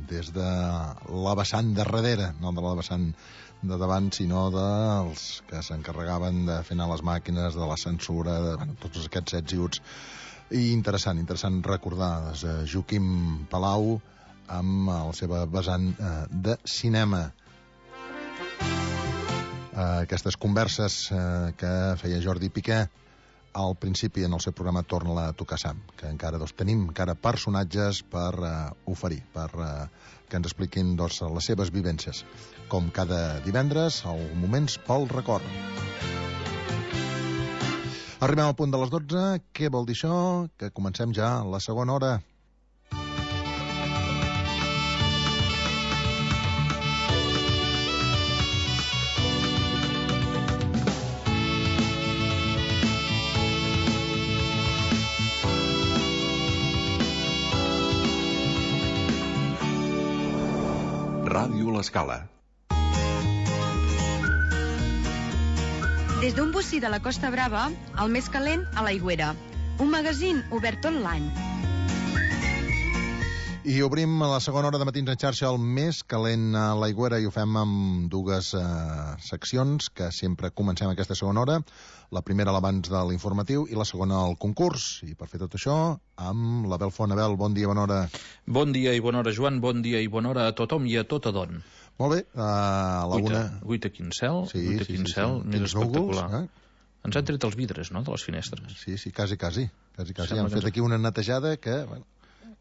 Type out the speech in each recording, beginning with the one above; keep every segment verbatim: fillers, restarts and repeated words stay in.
des de la vessant de darrere, no de la vessant de davant, sinó dels que s'encarregaven de fer anar les màquines, de la censura, de bueno, tots aquests sets i uts. I interessant, interessant recordar eh, Joaquim Palau amb la seva vessant eh, de cinema. Uh, aquestes converses uh, que feia Jordi Piqué al principi en el seu programa Torna-la a tocar Sam, que encara doncs, tenim encara personatges per uh, oferir, per uh, que ens expliquin doncs, les seves vivències, com cada divendres, al Moments pel Record. Arribem al punt de les dotze. Què vol dir això? Que comencem ja la segona hora. Ràdio L'Escala. Des d'un bocí de la Costa Brava, el més calent a l'Aigüera. Un magazín obert tot l'any. I obrim la segona hora de Matins en xarxa, el més calent a l'Aigüera, i ho fem amb dues eh, seccions que sempre comencem aquesta segona hora. La primera l'abans de l'informatiu i la segona el concurs. I per fer tot això, amb l'Abel Font. Abel, bon dia, bona hora. Bon dia i bona hora, Joan. Bon dia i bona hora a tothom i a tot adon. Molt bé, uh, a la una... Guita quin cel, sí, guita sí, quin sí, cel, sí. més espectacular. Núvols, eh? Ens han tret els vidres, no?, de les finestres. Sí, sí, quasi, quasi. quasi, quasi. Sembla Han fet que... aquí una netejada que... Bueno,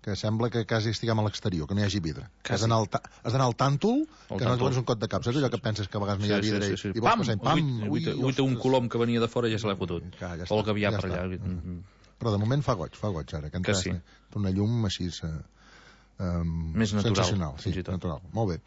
que sembla que quasi estiguem a l'exterior, que no hi hagi vidre. Has d'anar al, ta has d'anar al tàntol, el que no et dones un cot de cap. Saps allò que penses que a vegades no hi ha vidre? Sí, sí, sí. I vols passar, pam! Ui, ui, un colom que venia de fora ja se l'ha fotut. Ja, ja o el que havia ja per allà. Mm. Però de moment fa goig, fa goig ara. Que, que sí. Una llum així... Eh, um, més natural. Sensacional, sí, natural. Molt bé.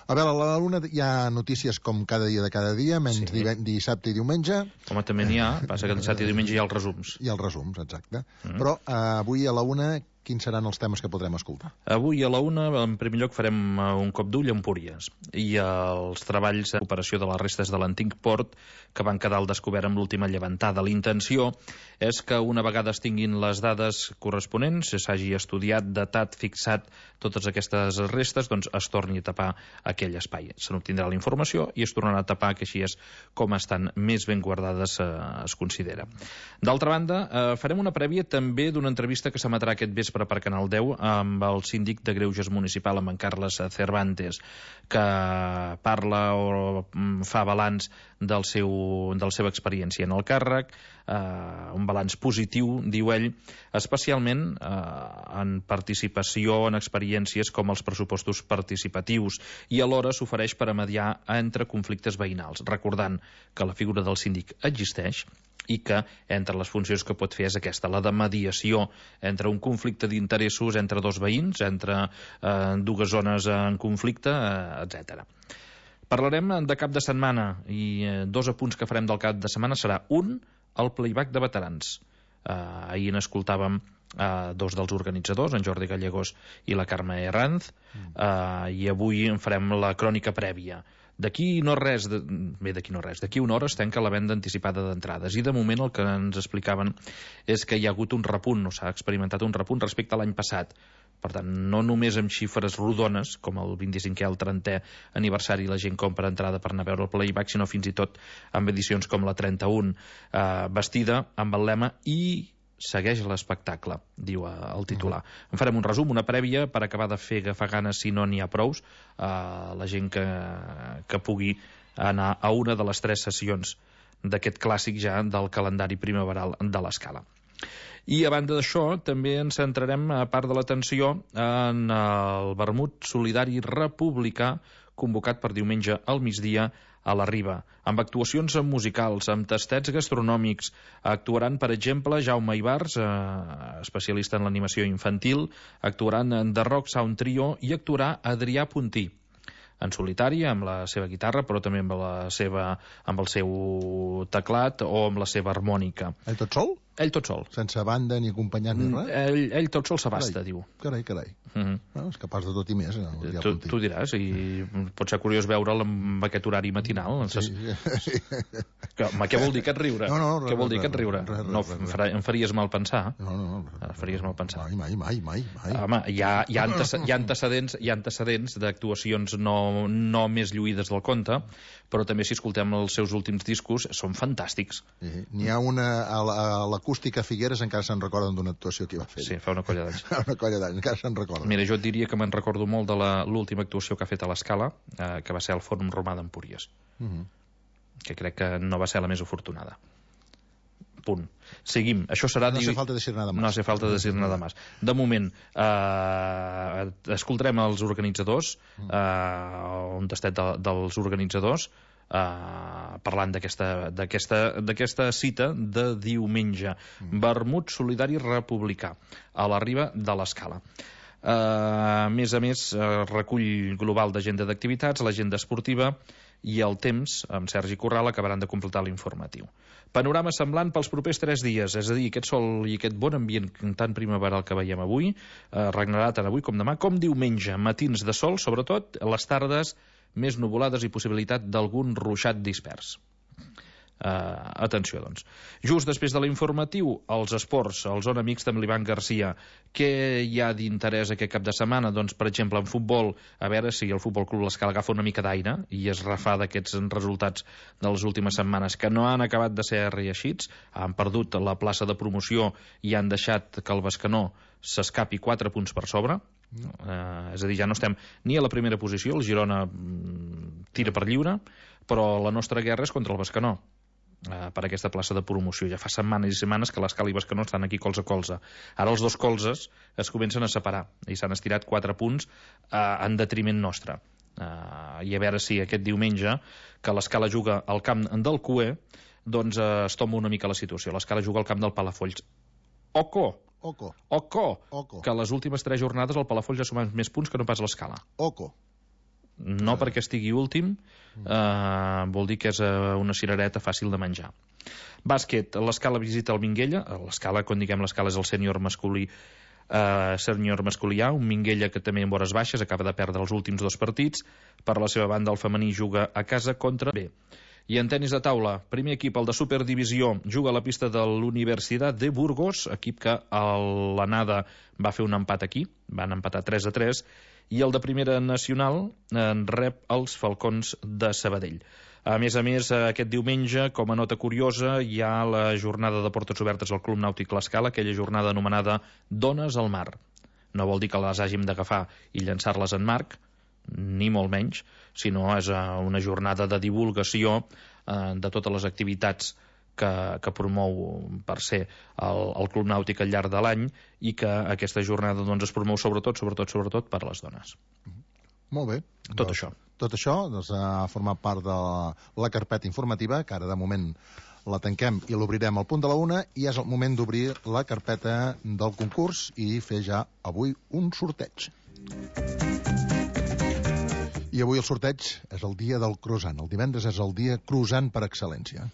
A veure, a la Luna hi ha notícies com cada dia de cada dia, menys sí. dissabte i diumenge. Home, també n'hi ha, passa que dissabte i diumenge hi ha els resums. Hi ha els resums, exacte. Mm. Però uh, avui a la una, quins seran els temes que podrem escoltar? Avui a la una, en primer lloc, farem un cop d'ull a Empúries i els treballs de recuperació de les restes de l'antic port que van quedar al descobert amb l'última llevantada. La intenció és que una vegada es tinguin les dades corresponents, s'hagi estudiat, datat, fixat totes aquestes restes, doncs es torni a tapar aquell espai. Se n'obtindrà la informació i es tornarà a tapar, que així és com estan més ben guardades, eh, es considera. D'altra banda, eh, farem una prèvia també d'una entrevista que s'emetrà aquest vespre per Canal deu amb el síndic de Greuges municipal, amb en Carles Cervantes, que parla o fa balanç del seu, de la seva experiència en el càrrec, eh, un balanç positiu, diu ell, especialment eh, en participació en experiències com els pressupostos participatius, i alhora s'ofereix per a mediar entre conflictes veïnals, recordant que la figura del síndic existeix i que entre les funcions que pot fer és aquesta, la de mediació entre un conflicte d'interessos entre dos veïns, entre eh, dues zones en conflicte, eh, etcètera. Parlarem de cap de setmana i eh, dos apunts que farem del cap de setmana serà un, el playback de veterans. Eh, ahir n'escoltàvem eh, dos dels organitzadors, en Jordi Gallegos i la Carme Herranz, eh, i avui en farem la crònica prèvia. D'aquí no res, de... bé, d'aquí no res, d'aquí una hora es tanca la venda anticipada d'entrades i de moment el que ens explicaven és que hi ha hagut un repunt, no s'ha experimentat un repunt respecte a l'any passat. Per tant, no només amb xifres rodones, com el vint-i-cinquè, el trentè aniversari, la gent compra entrada per anar a veure el playback, sinó fins i tot amb edicions com la trenta-un, eh, vestida amb el lema "i segueix l'espectacle", diu el titular. Mm. En farem un resum, una prèvia, per acabar de fer agafar ganes si no n'hi ha prous, a la gent que, que pugui anar a una de les tres sessions d'aquest clàssic ja del calendari primaveral de l'Escala. I a banda d'això també ens centrarem, a part de l'atenció, en el vermut solidari republicà convocat per diumenge al migdia a la Riba, amb actuacions musicals, amb tastets gastronòmics. Actuaran, per exemple, Jaume Ibars, eh, especialista en l'animació infantil, actuaran en The Rock Sound Trio i actuarà Adrià Puntí, en solitari, amb la seva guitarra, però també amb, la seva, amb el seu teclat o amb la seva harmònica. Ell tot sol? Ell tot sol. Sense banda, ni acompanyant, ni res? Ell, ell tot sol s'abasta, diu. Carai, carai. Mm -hmm. No, és capaç de tot i més. Eh, tu, tu diràs, i pot ser curiós veure'l amb aquest horari matinal. Sí, sí. Que, home, què vol dir aquest riure? No, no, res, què vol dir res, aquest riure? res, res, no, res, em, farà, em faries mal pensar. No, no, no. Em faries mal pensar. Mai, mai, mai, mai. mai. Home, hi ha, hi ha, antece hi ha antecedents, hi ha antecedents d'actuacions no, no més lluïdes del conte, però també si escoltem els seus últims discos són fantàstics. Sí, n'hi ha una a l'acústica Figueres, encara se'n recorden d'una actuació que va fer. Sí, fa una colla d'anys. una colla d'anys, encara se'n recorden. Mira, jo et diria que me'n recordo molt de l'última actuació que ha fet a l'Escala, eh, que va ser al Fòrum Romà d'Empúries, uh -huh. que crec que no va ser la més afortunada. Punt. Seguim. Això serà... No hace falta decir nada más. No hace falta decir nada más. De moment, eh, escoltarem els organitzadors, eh, un tastet de, dels organitzadors, eh, parlant d'aquesta cita de diumenge. Mm. Vermut solidari republicà, a la riba de l'Escala. Uh, a més a més, uh, recull global d'agenda d'activitats, l'agenda esportiva i el temps, amb Sergi Corral, acabaran de completar l'informatiu. Panorama semblant pels propers tres dies, és a dir, aquest sol i aquest bon ambient tan primaveral que veiem avui, uh, regnarà tant avui com demà, com diumenge, matins de sol, sobretot, les tardes més nuvolades i possibilitat d'algun ruixat dispers. Uh, atenció, doncs. Just després de l'informatiu, els esports, el Zona Mixta amb l'Ivan Garcia. Què hi ha d'interès aquest cap de setmana? Doncs, per exemple, en futbol, a veure si el Futbol Club l'Escala agafa una mica d'aire i es refà d'aquests resultats de les últimes setmanes que no han acabat de ser reeixits, han perdut la plaça de promoció i han deixat que el Bescanó s'escapi quatre punts per sobre. Uh, és a dir, ja no estem ni a la primera posició, el Girona mm, tira per lliure, però la nostra guerra és contra el Bescanó. Uh, per aquesta plaça de promoció. Ja fa setmanes i setmanes que l'Escala i Bescanó estan aquí colze a colze. Ara els dos colzes es comencen a separar i s'han estirat quatre punts uh, en detriment nostre. Uh, I a veure si aquest diumenge, que l'Escala juga al camp del Cué, doncs uh, es toma una mica la situació. L'Escala juga al camp del Palafolls. Oco! Oco. Oco! Oco. Que les últimes tres jornades el Palafolls ha sumat més punts que no pas l'Escala. Oco. No uh. perquè estigui últim, Uh, vol dir que és uh, una cirereta fàcil de menjar. Bàsquet, l'Escala visita el Minguella. L'Escala, quan diguem l'Escala, és el sènior masculí, uh, sènior masculià, un Minguella que també en vores baixes acaba de perdre els últims dos partits. Per la seva banda, el femení juga a casa contra B. I en tenis de taula, primer equip, el de Superdivisió, juga a la pista de l'Universitat de Burgos, equip que a l'anada va fer un empat aquí, van empatar tres a tres, i el de Primera Nacional en rep els Falcons de Sabadell. A més a més, aquest diumenge, com a nota curiosa, hi ha la jornada de portes obertes al Club Nàutic l'Escala, aquella jornada anomenada Dones al Mar. No vol dir que les hàgim d'agafar i llançar-les en marc, ni molt menys, sinó és una jornada de divulgació eh, de totes les activitats que, que promou per ser el, el Club Nàutic al llarg de l'any i que aquesta jornada doncs, es promou sobretot, sobretot, sobretot per les dones. Molt bé. Tot doncs, això. Tot això doncs, ha format part de la, la carpeta informativa, que ara de moment la tanquem i l'obrirem al punt de la una, i és el moment d'obrir la carpeta del concurs i fer ja avui un sorteig. I avui el sorteig és el dia del croissant. El divendres és el dia croissant per excel·lència.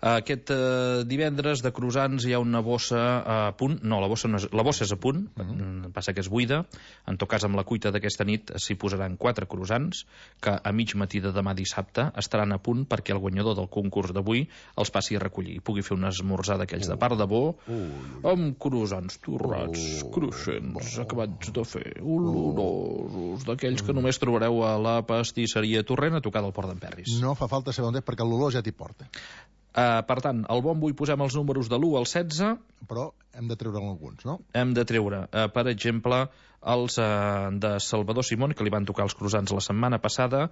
Aquest eh, divendres de croissants hi ha una bossa a punt. No, la bossa, no és, la bossa és a punt, uh -huh. Passa que és buida. En tot cas, amb la cuita d'aquesta nit s'hi posaran quatre croissants que a mig matí de demà dissabte estaran a punt perquè el guanyador del concurs d'avui els passi a recollir i pugui fer un esmorzar d'aquells uh, de part de bo uh, uh, amb croissants torrats, uh, cruixents, uh, acabats de fer, olorosos, d'aquells que només trobareu a la pastisseria Torrent a tocar del Port d'en Perris. No fa falta saber on és perquè l'olor ja t'hi porta. Uh, per tant, al bombo hi posem els números de l'u al setze. Però hem de treure alguns, no? Hem de treure, uh, per exemple, els uh, de Salvador Simón, que li van tocar els croissants la setmana passada,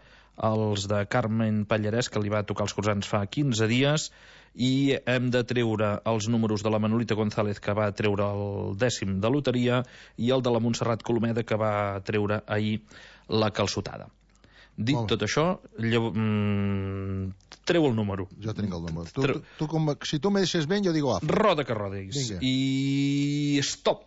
els de Carmen Pallarès, que li va tocar els croissants fa quinze dies, i hem de treure els números de la Manolita González, que va treure el dècim de loteria, i el de la Montserrat Colomeda, que va treure ahir la calçotada. Dit tot això, llavors, mm, treu el número. Jo tinc el número. Tu, tu, tu, com, si tu me deixes ben, jo digo A. Roda que rodis. Vinga. I stop.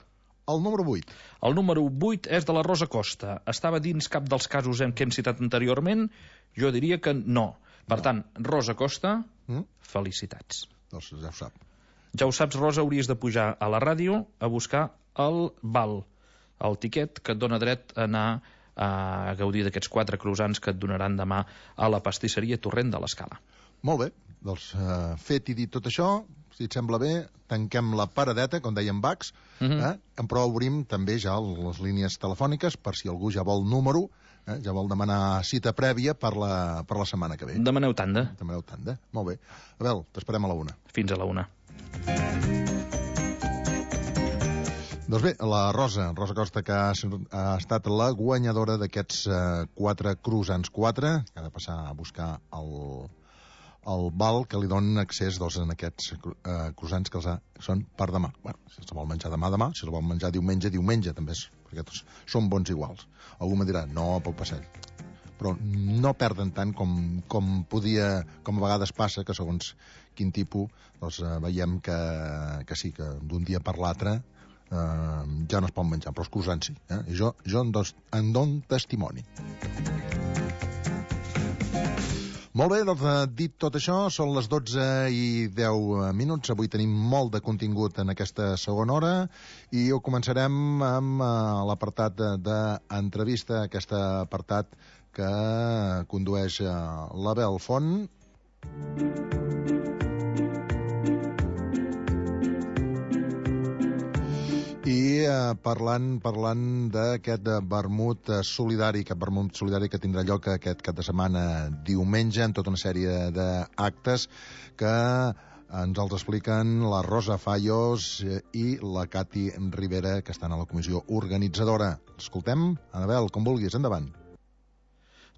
El número vuit. El número vuit és de la Rosa Costa. Estava dins cap dels casos en què hem citat anteriorment? Jo diria que no. Per no. tant, Rosa Costa, mm? felicitats. Doncs ja ho sap. Ja ho saps, Rosa, hauries de pujar a la ràdio a buscar el val, el tiquet que et dona dret a anar a gaudir d'aquests quatre croissants que et donaran demà a la pastisseria Torrent de l'Escala. Molt bé, doncs uh, fet i dit tot això, si et sembla bé, tanquem la paradeta, com deien Bacs, uh -huh. eh? però obrim també ja les línies telefòniques per si algú ja vol número, eh? ja vol demanar cita prèvia per la, per la setmana que ve. Demaneu tanda. Demaneu tanda, molt bé. Abel, t'esperem a la una. Fins a la una. Doncs bé, la Rosa, Rosa Costa, que ha, ha estat la guanyadora d'aquests eh, quatre croissants quatre, que ha de passar a buscar el... el val que li donen accés doncs, en aquests eh, croissants que els ha, són per demà. Bueno, si se vol menjar demà, demà. Si se vol menjar diumenge, diumenge, també és, perquè tots són bons iguals. Algú me dirà, no, pel passeig. Però no perden tant com, com podia, com a vegades passa, que segons quin tipus, doncs eh, veiem que, que sí, que d'un dia per l'altre eh, ja no es pot menjar, però els croissants sí. Eh? I jo, jo en, dos, en dono testimoni. Molt bé, doncs dit tot això, són les dotze i deu minuts. Avui tenim molt de contingut en aquesta segona hora i ho començarem amb uh, l'apartat d'entrevista, aquest apartat que condueix uh, l'Abel Font. I eh, parlant parlant d'aquest vermut solidari, aquest vermut solidari que tindrà lloc aquest cap de setmana diumenge, en tota una sèrie d'actes que ens els expliquen la Rosa Fallos i la Cati Rivera, que estan a la comissió organitzadora. Escoltem, Anabel, com vulguis, endavant.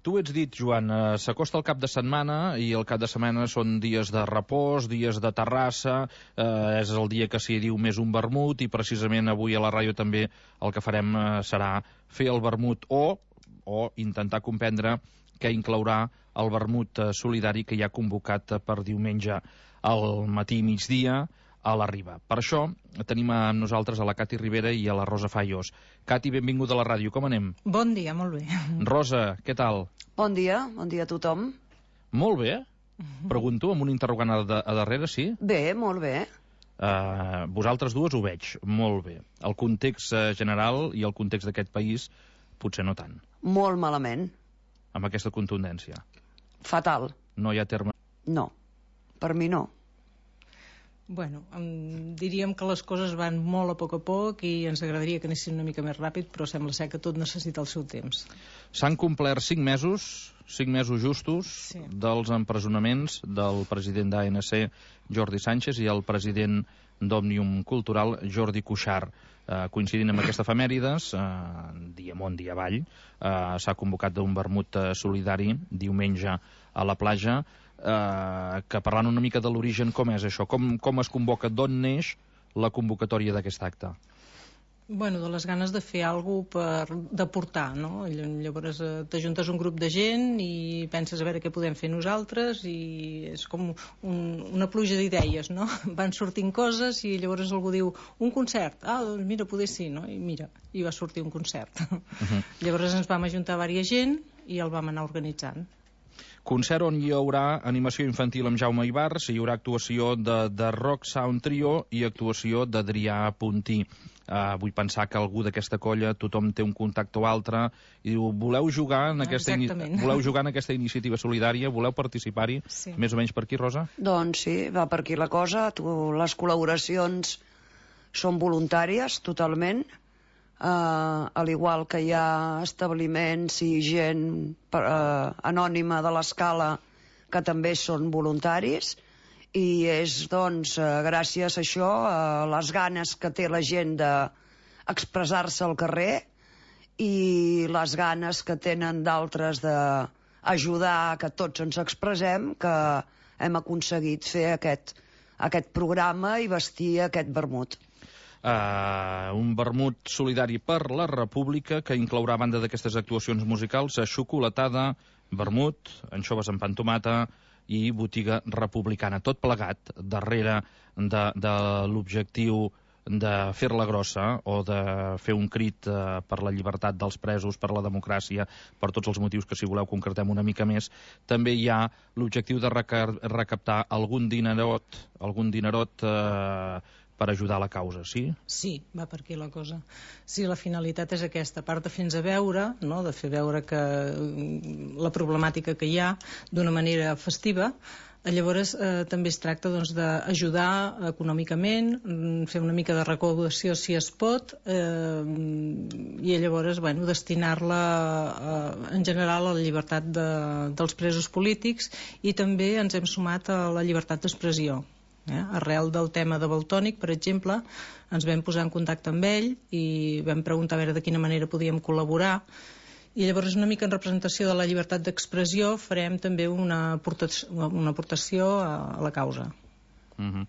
Tu ho ets dit, Joan, eh, s'acosta el cap de setmana i el cap de setmana són dies de repòs, dies de terrassa, eh, és el dia que s'hi diu més un vermut i precisament avui a la ràdio també el que farem eh, serà fer el vermut o, o intentar comprendre què inclourà el vermut eh, solidari que hi ha convocat eh, per diumenge al matí i migdia a la Riba. Per això tenim amb nosaltres a la Cati Rivera i a la Rosa Fallos. Cati, benvinguda a la ràdio, com anem? Bon dia, molt bé. Rosa, què tal? Bon dia, bon dia a tothom. Molt bé. Pregunto, amb un interrogant a, de, a darrere, sí? Bé, molt bé. Uh, vosaltres dues ho veig, molt bé. El context uh, general i el context d'aquest país, potser no tant. Molt malament. Amb aquesta contundència. Fatal. No hi ha terme... No, per mi no. Bueno, um, diríem que les coses van molt a poc a poc i ens agradaria que anessin una mica més ràpid, però sembla ser que tot necessita el seu temps. S'han complert cinc mesos, cinc mesos justos, sí, dels empresonaments del president d'A N C, Jordi Sánchez, i el president d'Òmnium Cultural, Jordi Cuixart. Eh, coincidint amb aquesta efemèrides, eh, dia amunt, dia avall, eh, s'ha convocat un vermut eh, solidari diumenge a la platja, eh, que parlant una mica de l'origen, com és això? Com, com es convoca, d'on neix la convocatòria d'aquest acte? Bueno, de les ganes de fer alguna cosa per d'aportar, no? Llavors eh, t'ajuntes un grup de gent i penses a veure què podem fer nosaltres i és com un, una pluja d'idees, no? Van sortint coses i llavors algú diu un concert, ah, doncs mira, poder sí, no? I mira, i va sortir un concert. Uh-huh. Llavors ens vam ajuntar diversa gent i el vam anar organitzant. Concert on hi haurà animació infantil amb Jaume Ibars, hi haurà actuació de, de Rock Sound Trio i actuació d'Adrià Puntí. Uh, vull pensar que algú d'aquesta colla, tothom té un contacte o altre, i diu, voleu jugar en aquesta, voleu jugar en aquesta iniciativa solidària, voleu participar-hi? Sí. Més o menys per aquí, Rosa? Doncs sí, va per aquí la cosa. Tu, les col·laboracions són voluntàries, totalment. Uh, al igual que hi ha establiments i gent uh, anònima de l'escala que també són voluntaris, i és doncs uh, gràcies a això, a uh, les ganes que té la gent d'expressar-se al carrer i les ganes que tenen d'altres d'ajudar a que tots ens expressem, que hem aconseguit fer aquest, aquest programa i vestir aquest vermut. Uh, un vermut solidari per la República que inclourà, a banda d'aquestes actuacions musicals, xocolatada, vermut, anxoves amb pantomata i botiga republicana. Tot plegat darrere de, de l'objectiu de fer-la grossa o de fer un crit eh, per la llibertat dels presos, per la democràcia, per tots els motius que, si voleu, concretem una mica més, també hi ha l'objectiu de recaptar algun dinerot, algun dinerot eh, per ajudar a la causa, sí? Sí, va per aquí la cosa. Sí, la finalitat és aquesta, a part de fer-nos veure, no?, de fer veure que la problemàtica que hi ha d'una manera festiva. Llavors eh, també es tracta doncs, d'ajudar econòmicament, fer una mica de recaudació si es pot, eh, i llavors bueno, destinar-la eh, en general a la llibertat de, dels presos polítics, i també ens hem sumat a la llibertat d'expressió. Eh? Arrel del tema de Valtònyc, per exemple, ens vam posar en contacte amb ell i vam preguntar a veure de quina manera podíem col·laborar. I llavors, una mica en representació de la llibertat d'expressió, farem també una aportació, una aportació a la causa. Uh-huh.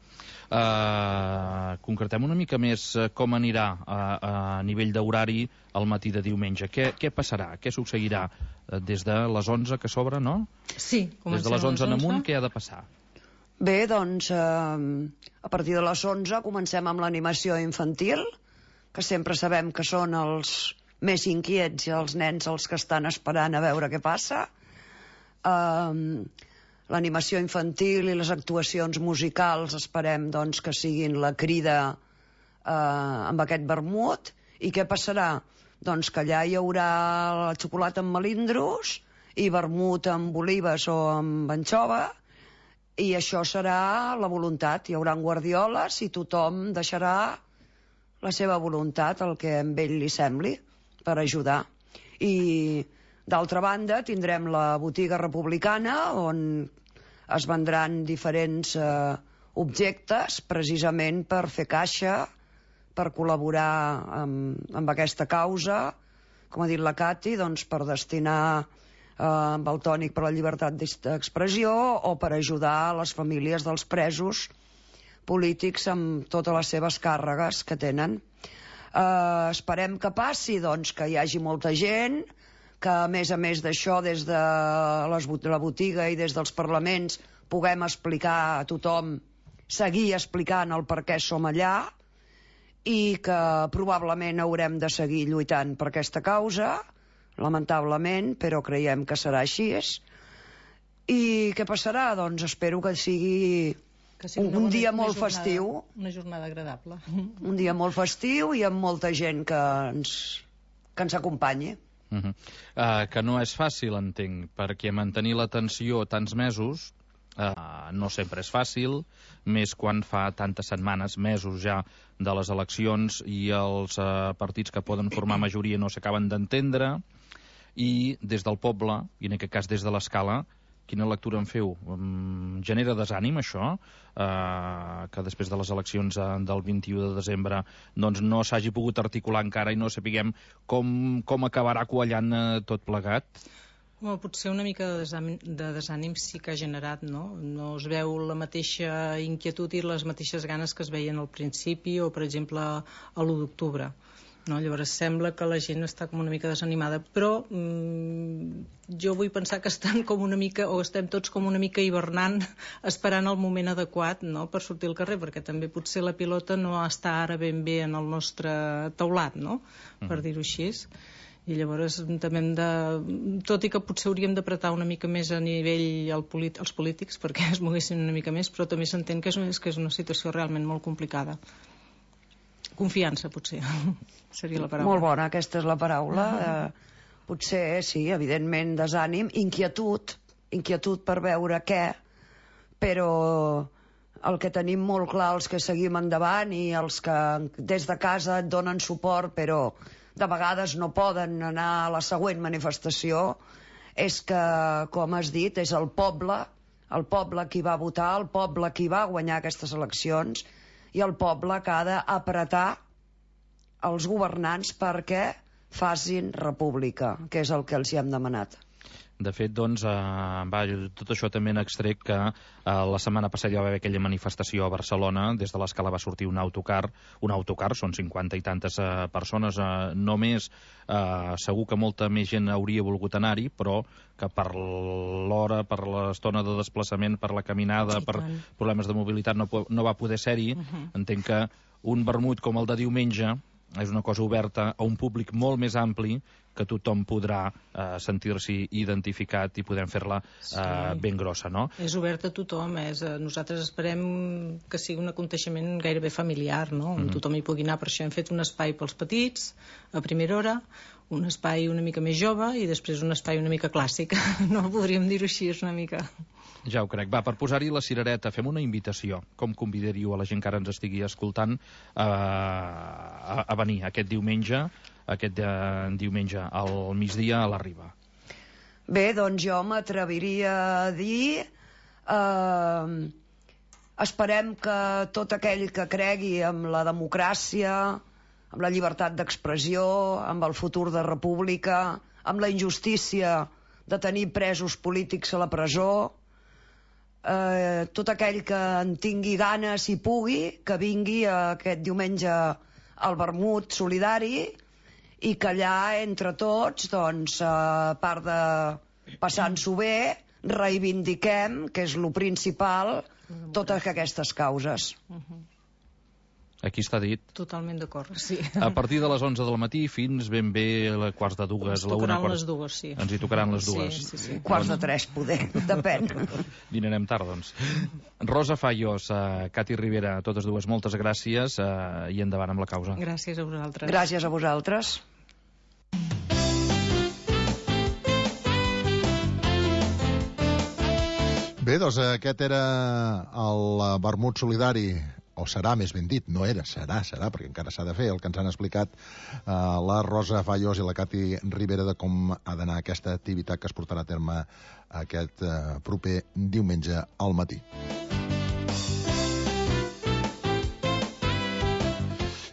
uh, concretem una mica més com anirà a, a nivell d'horari el matí de diumenge. Què, què passarà? Què succeirà? Des de les onze que s'obre, no? Sí, des de les onze en amunt, què ha de passar? Bé, doncs, eh, a partir de les onze comencem amb l'animació infantil, que sempre sabem que són els més inquiets i els nens els que estan esperant a veure què passa. Um, l'animació infantil i les actuacions musicals esperem doncs, que siguin la crida uh, amb aquest vermut. I què passarà? Doncs que allà hi haurà la xocolata amb melindros i vermut amb olives o amb anxova, i això serà la voluntat. Hi haurà guardioles i tothom deixarà la seva voluntat, el que a ell li sembli, per ajudar. I d'altra banda tindrem la botiga republicana, on es vendran diferents eh, objectes precisament per fer caixa, per col·laborar amb, amb aquesta causa, com ha dit la Cati, doncs per destinar eh, Valtònyc per la llibertat d'expressió o per ajudar a les famílies dels presos polítics amb totes les seves càrregues que tenen. Uh, esperem que passi doncs, que hi hagi molta gent, que a més a més d'això des de les, la botiga i des dels parlaments puguem explicar a tothom, seguir explicant el per què som allà, i que probablement haurem de seguir lluitant per aquesta causa, lamentablement, però creiem que serà així. I què passarà? Doncs espero que sigui que sigui un, una un dia bona, molt una jornada, festiu, una jornada agradable, un dia molt festiu i amb molta gent que ens, que ens acompanyi. Uh -huh. uh, que no és fàcil, entenc, perquè mantenir l'atenció tants mesos uh, no sempre és fàcil, més quan fa tantes setmanes, mesos ja de les eleccions, i els uh, partits que poden formar majoria no s'acaben d'entendre, i des del poble, i en aquest cas des de l'Escala, quina lectura en feu? Um, genera desànim, això? Uh, que després de les eleccions uh, del vint-i-u de desembre doncs no s'hagi pogut articular encara i no sapiguem com, com acabarà quallant uh, tot plegat? Home, potser una mica de desànim, de desànim sí que ha generat, no? No es veu la mateixa inquietud i les mateixes ganes que es veien al principi o, per exemple, a l'u d'octubre. No? Llavors sembla que la gent està com una mica desanimada, però mmm, jo vull pensar que estan com una mica, o estem tots com una mica hivernant, esperant el moment adequat, no?, per sortir al carrer, perquè també potser la pilota no està ara ben bé en el nostre taulat, no?, per dir-ho així. I llavors també hem de, tot i que potser hauríem d'apretar una mica més a nivell el polit, els polítics perquè es moguessin una mica més, però també s'entén que és, que és una situació realment molt complicada. Confiança, potser, seria la paraula. Molt bona, aquesta és la paraula. Uh-huh. eh, potser, sí, evidentment, desànim, inquietud, inquietud per veure què, però el que tenim molt clar, els que seguim endavant i els que des de casa et donen suport, però de vegades no poden anar a la següent manifestació, és que, com has dit, és el poble, el poble qui va votar, el poble qui va guanyar aquestes eleccions, i el poble que ha d'apretar els governants perquè facin república, que és el que els hi hem demanat. De fet, doncs, eh, va, tot això també n'extrec que eh, la setmana passada hi va haver aquella manifestació a Barcelona, des de l'Escala va sortir un autocar, un autocar, són cinquanta i tantes eh, persones, eh, només eh, segur que molta més gent hauria volgut anar-hi, però que per l'hora, per l'estona de desplaçament, per la caminada, per problemes de mobilitat no, no va poder ser-hi. Uh-huh. Entenc que un vermut com el de diumenge és una cosa oberta a un públic molt més ampli, que tothom podrà eh, sentir-s'hi identificat i podem fer-la eh, sí. ben grossa, no? És obert a tothom, és, nosaltres esperem que sigui un aconteixement gairebé familiar, no? On mm. tothom hi pugui anar, per això hem fet un espai pels petits, a primera hora, un espai una mica més jove i després un espai una mica clàssic, no podríem dir-ho així, és una mica... Ja ho crec. Va, per posar-hi la cirereta, fem una invitació. Com convidaríeu a la gent que ara ens estigui escoltant eh, a, a venir aquest diumenge, aquest eh, diumenge al migdia a la Riba? Bé, doncs jo m'atreviria a dir... Eh, esperem que tot aquell que cregui en la democràcia, amb la llibertat d'expressió, amb el futur de república, amb la injustícia de tenir presos polítics a la presó, eh, tot aquell que en tingui ganes i pugui, que vingui aquest diumenge al vermut solidari i que allà, entre tots, doncs, a part de passant-s'ho bé, reivindiquem, que és lo principal, totes aquestes causes. Uh-huh. Aquí està dit. Totalment d'acord, sí. A partir de les onze del matí fins ben bé a quarts de dues. Ens tocaran quarts... les dues, sí. Ens hi tocaran les dues. Sí, sí, sí. Quarts de tres, poder, depèn. Dinarem tard, doncs. Rosa Fallos, uh, Cati Ribera, totes dues, moltes gràcies uh, i endavant amb la causa. Gràcies a vosaltres. Gràcies a vosaltres. Bé, doncs aquest era el vermut solidari, o serà, més ben dit, no era, serà, serà, perquè encara s'ha de fer, el que ens han explicat eh, la Rosa Fallos i la Cati Ribera de com ha d'anar aquesta activitat que es portarà a terme aquest eh, proper diumenge al matí.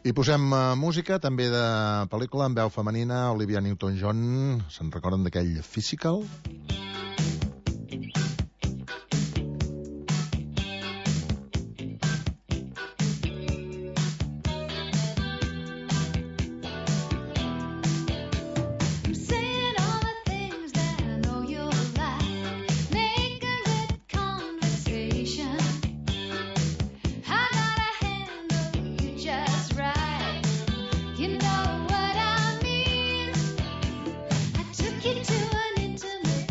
I posem uh, música, també de pel·lícula, amb veu femenina, Olivia Newton-John. Se'n recorden d'aquell Physical? Took you to an intimate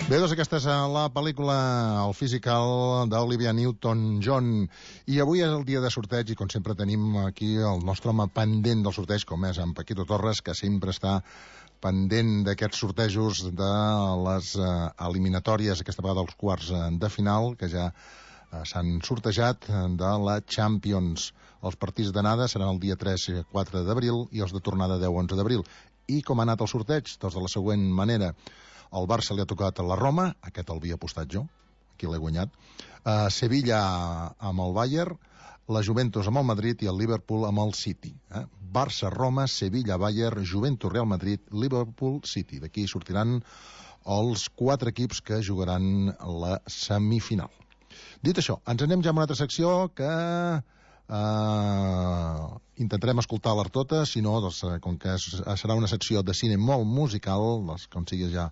Bé, doncs aquesta és la pel·lícula El Physical d'Olivia Newton-John, i avui és el dia de sorteig i com sempre tenim aquí el nostre home pendent del sorteig, com és en Paquito Torres, que sempre està pendent d'aquests sortejos de les eh, eliminatòries, aquesta vegada dels quarts eh, de final, que ja eh, s'han sortejat, eh, de la Champions. Els partits d'anada seran el dia tres i quatre d'abril i els de tornada deu i onze d'abril. I com ha anat el sorteig? Doncs de la següent manera. El Barça li ha tocat a la Roma, aquest el havia apostat jo, aquí l'he guanyat. Uh, Sevilla amb el Bayern, la Juventus amb el Madrid i el Liverpool amb el City. Eh? Barça, Roma, Sevilla, Bayern, Juventus, Real Madrid, Liverpool, City. D'aquí sortiran els quatre equips que jugaran la semifinal. Dit això, ens anem ja a una altra secció que uh, intentarem escoltar-les totes, si no, doncs, com que és, serà una secció de cine molt musical, doncs, com sigui ja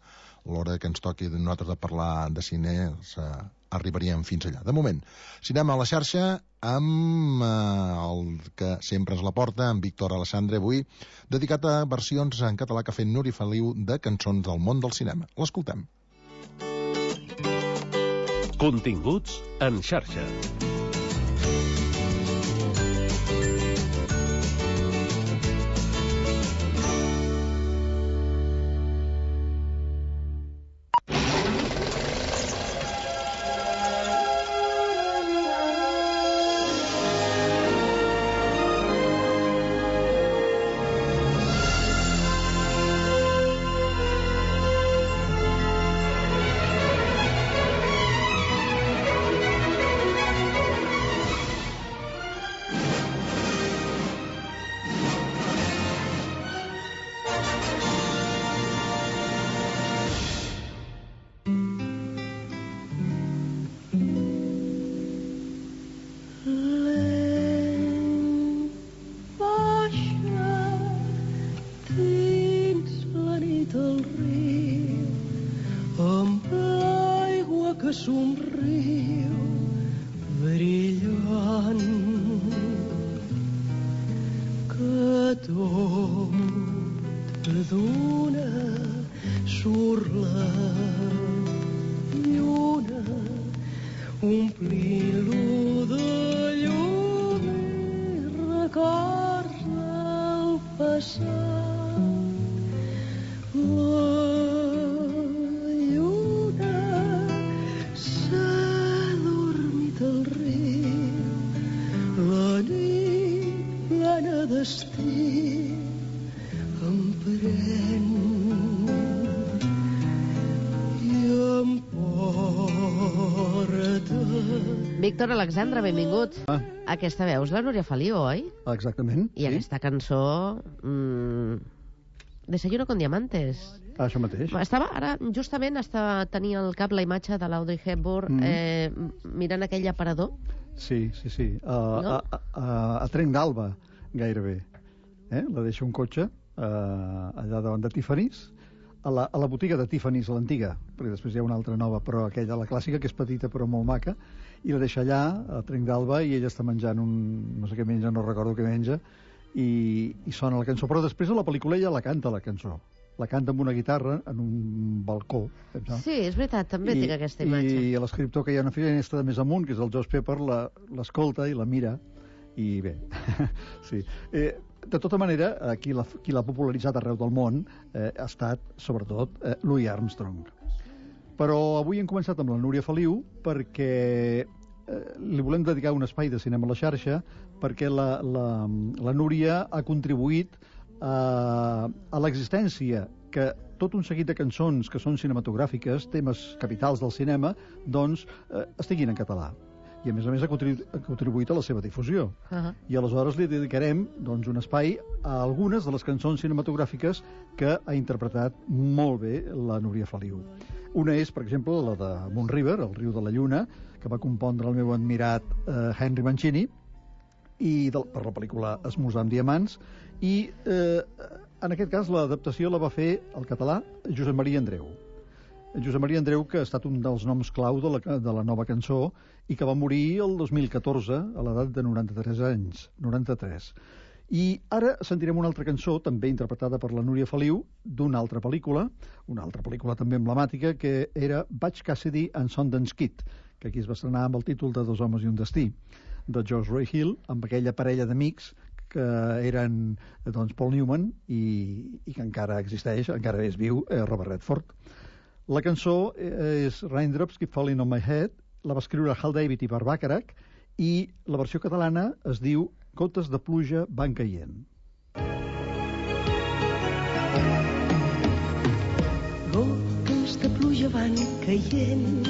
l'hora que ens toqui de nosaltres de parlar de cine, doncs, uh, arribaríem fins allà. De moment, cinema a la xarxa amb uh, el que sempre ens la porta, en Víctor Alessandre, avui, dedicat a versions en català que ha fet Núria Feliu de cançons del món del cinema. L'escoltem. Continguts en xarxa. Víctor Alexandre, benvingut. Ah. Aquesta veu és la Núria Feliu, oi? Exactament. I sí. Aquesta cançó... Mmm, Desayuno con diamantes. Ah, això mateix. Estava, ara, justament, estava, tenia al cap la imatge de l'Audrey Hepburn mm. eh, mirant aquell aparador. Sí, sí, sí. Uh, no? a, a, a Trenc d'Alba, gairebé. Eh? La deixa un cotxe uh, allà davant de Tiffany's, a la, a la botiga de Tiffany's, l'antiga, perquè després hi ha una altra nova, però aquella, la clàssica, que és petita però molt maca, i la deixa allà, a Trenc d'Alba, i ella està menjant un... no sé què menja, no recordo què menja, i, i sona la cançó. Però després a la pel·lícula ella la canta, la cançó. La canta amb una guitarra en un balcó. Pensa. Sí, és veritat, també I, tinc aquesta imatge. I l'escriptor, que hi ha una finestra de més amunt, que és el Josh Pepper, l'escolta i la mira, i bé, sí. Eh, de tota manera, eh, qui l'ha qui l'ha popularitzat arreu del món eh, ha estat, sobretot, eh, Louis Armstrong. Però avui hem començat amb la Núria Feliu perquè eh, li volem dedicar un espai de cinema a la xarxa, perquè la, la, la Núria ha contribuït a, a l'existència que tot un seguit de cançons que són cinematogràfiques, temes capitals del cinema, doncs eh, estiguin en català. I a més a més ha contribuït a la seva difusió. Uh-huh. I aleshores li dedicarem doncs, un espai a algunes de les cançons cinematogràfiques que ha interpretat molt bé la Núria Feliu. Una és, per exemple, la de Moon River, El riu de la lluna, que va compondre el meu admirat eh, Henry Mancini, i de, per la pel·lícula Esmorzar amb diamants, i eh, en aquest cas l'adaptació la va fer al català Josep Maria Andreu. Josep Maria Andreu, que ha estat un dels noms clau de la, de la nova cançó i que va morir el dos mil catorze a l'edat de noranta-tres anys. noranta-tres. I ara sentirem una altra cançó, també interpretada per la Núria Feliu, d'una altra pel·lícula, una altra pel·lícula també emblemàtica, que era Butch Cassidy and Sundance Kid, que aquí es va estrenar amb el títol de Dos homes i un destí, de George Roy Hill, amb aquella parella d'amics que eren doncs, Paul Newman i, i que encara existeix, encara és viu, eh, Robert Redford. La cançó és Raindrops Keep Falling on My Head, la va escriure Hal David i Bart Bacharach, i la versió catalana es diu Gotes de pluja van caient. Gotes de pluja van caient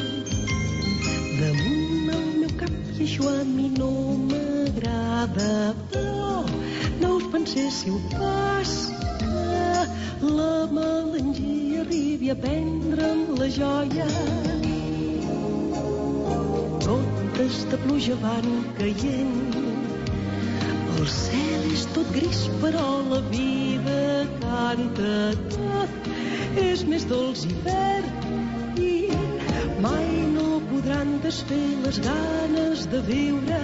damunt el meu cap i això a mi no m'agrada, però no us penséssiu pas que la melangia arribi a prendre'm la joia. Gotes de pluja van caient, el cel és tot gris però la vida canta, tot és més dolç i verd i mai no podran desfer les ganes de viure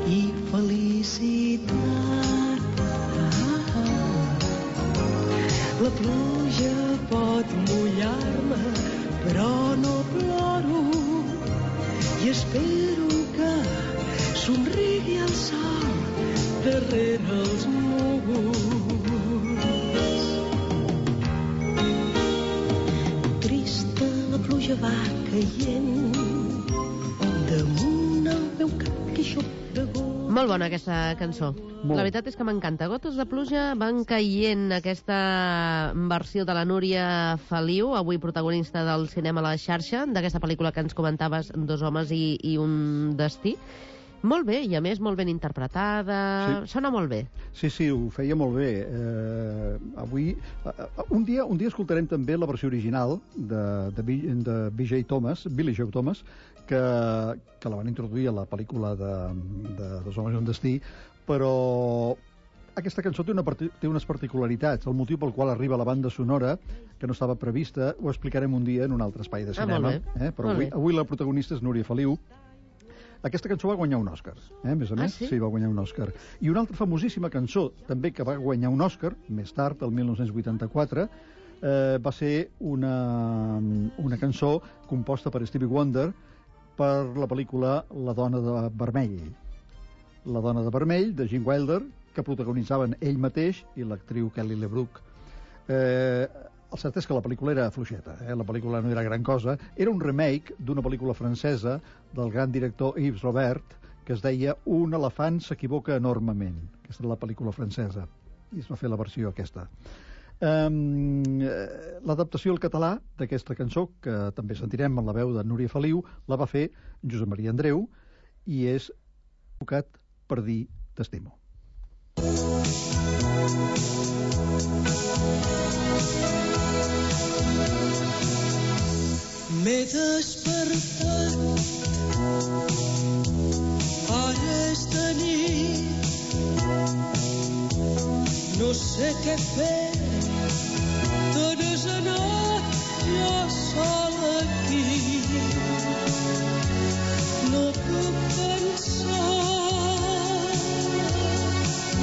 i felicitat. La pluja pot mullar-me, però no ploro i espero que somrigui el sol darrere els núvols. Trista la pluja va caient damunt el meu cap que xop de gos. Molt bona aquesta cançó. Molt. La veritat és que m'encanta. Gotes de pluja van caient, aquesta versió de la Núria Feliu, avui protagonista del cinema a la xarxa, d'aquesta pel·lícula que ens comentaves, Dos homes i, i un destí. Molt bé, i a més molt ben interpretada. Sí. Sona molt bé. Sí, sí, ho feia molt bé. Eh, avui, eh, un dia un dia escoltarem també la versió original de, de, de B J Thomas, Billy Joe Thomas, que, que la van introduir a la pel·lícula de, de Dos homes i un destí, però aquesta cançó té, una, té unes particularitats. El motiu pel qual arriba la banda sonora, que no estava prevista, ho explicarem un dia en un altre espai de cinema. Ah, molt bé. Eh? Però molt avui, bé. avui la protagonista és Núria Feliu. Aquesta cançó va guanyar un Òscar, eh? A més a més, ah, sí? sí, va guanyar un Òscar. I una altra famosíssima cançó, també que va guanyar un Òscar, més tard, el mil nou-cents vuitanta-quatre, eh, va ser una, una cançó composta per Stevie Wonder per la pel·lícula La dona de vermell. La dona de vermell, de Gene Wilder, que protagonitzaven ell mateix i l'actriu Kelly LeBrook. Eh, el cert és que la pel·lícula era fluixeta, eh? La pel·lícula no era gran cosa. Era un remake d'una pel·lícula francesa del gran director Yves Robert, que es deia Un elefant s'equivoca enormement. Aquesta era la pel·lícula francesa, i es va fer la versió aquesta. Um, L'adaptació al català d'aquesta cançó, que també sentirem en la veu de Núria Feliu, la va fer Josep Maria Andreu, i és Tocat per dir t'estimo. M'he despertat, ara és de nit, no sé què fer, te n'has anat jo sol aquí, no puc pensar,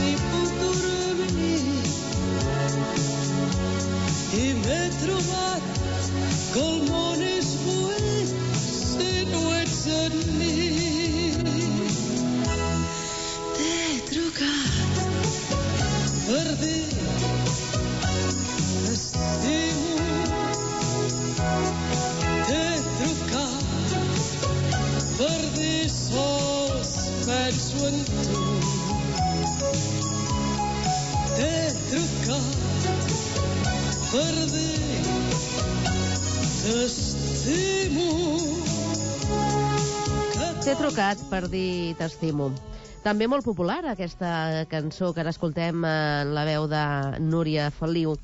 ni puc dormir, i m'he trobat que el món és buit si no ets en mi. T'he trucat per dir t'estimo, t'he trucat per dir sols penso en tu, t'he trucat per dir t'estimo. T'he trucat per dir t'estimo. També molt popular aquesta cançó que ara escoltem en la veu de Núria Feliu.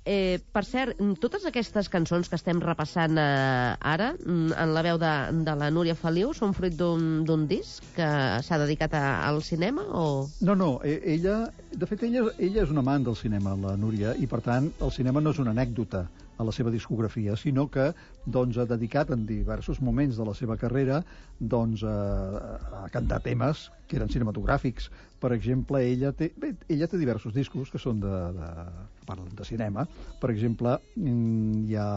Eh, per cert, totes aquestes cançons que estem repassant eh, ara, en la veu de, de la Núria Feliu, són fruit d'un disc que s'ha dedicat a, al cinema o...? No, no, ella, de fet, ella, ella és una amant del cinema, la Núria, i per tant el cinema no és una anècdota a la seva discografia, sinó que doncs, ha dedicat en diversos moments de la seva carrera doncs, a, a cantar temes que eren cinematogràfics. Per exemple, ella té, bé, ella té diversos discos que són de, de, parlen de cinema. Per exemple, hi ha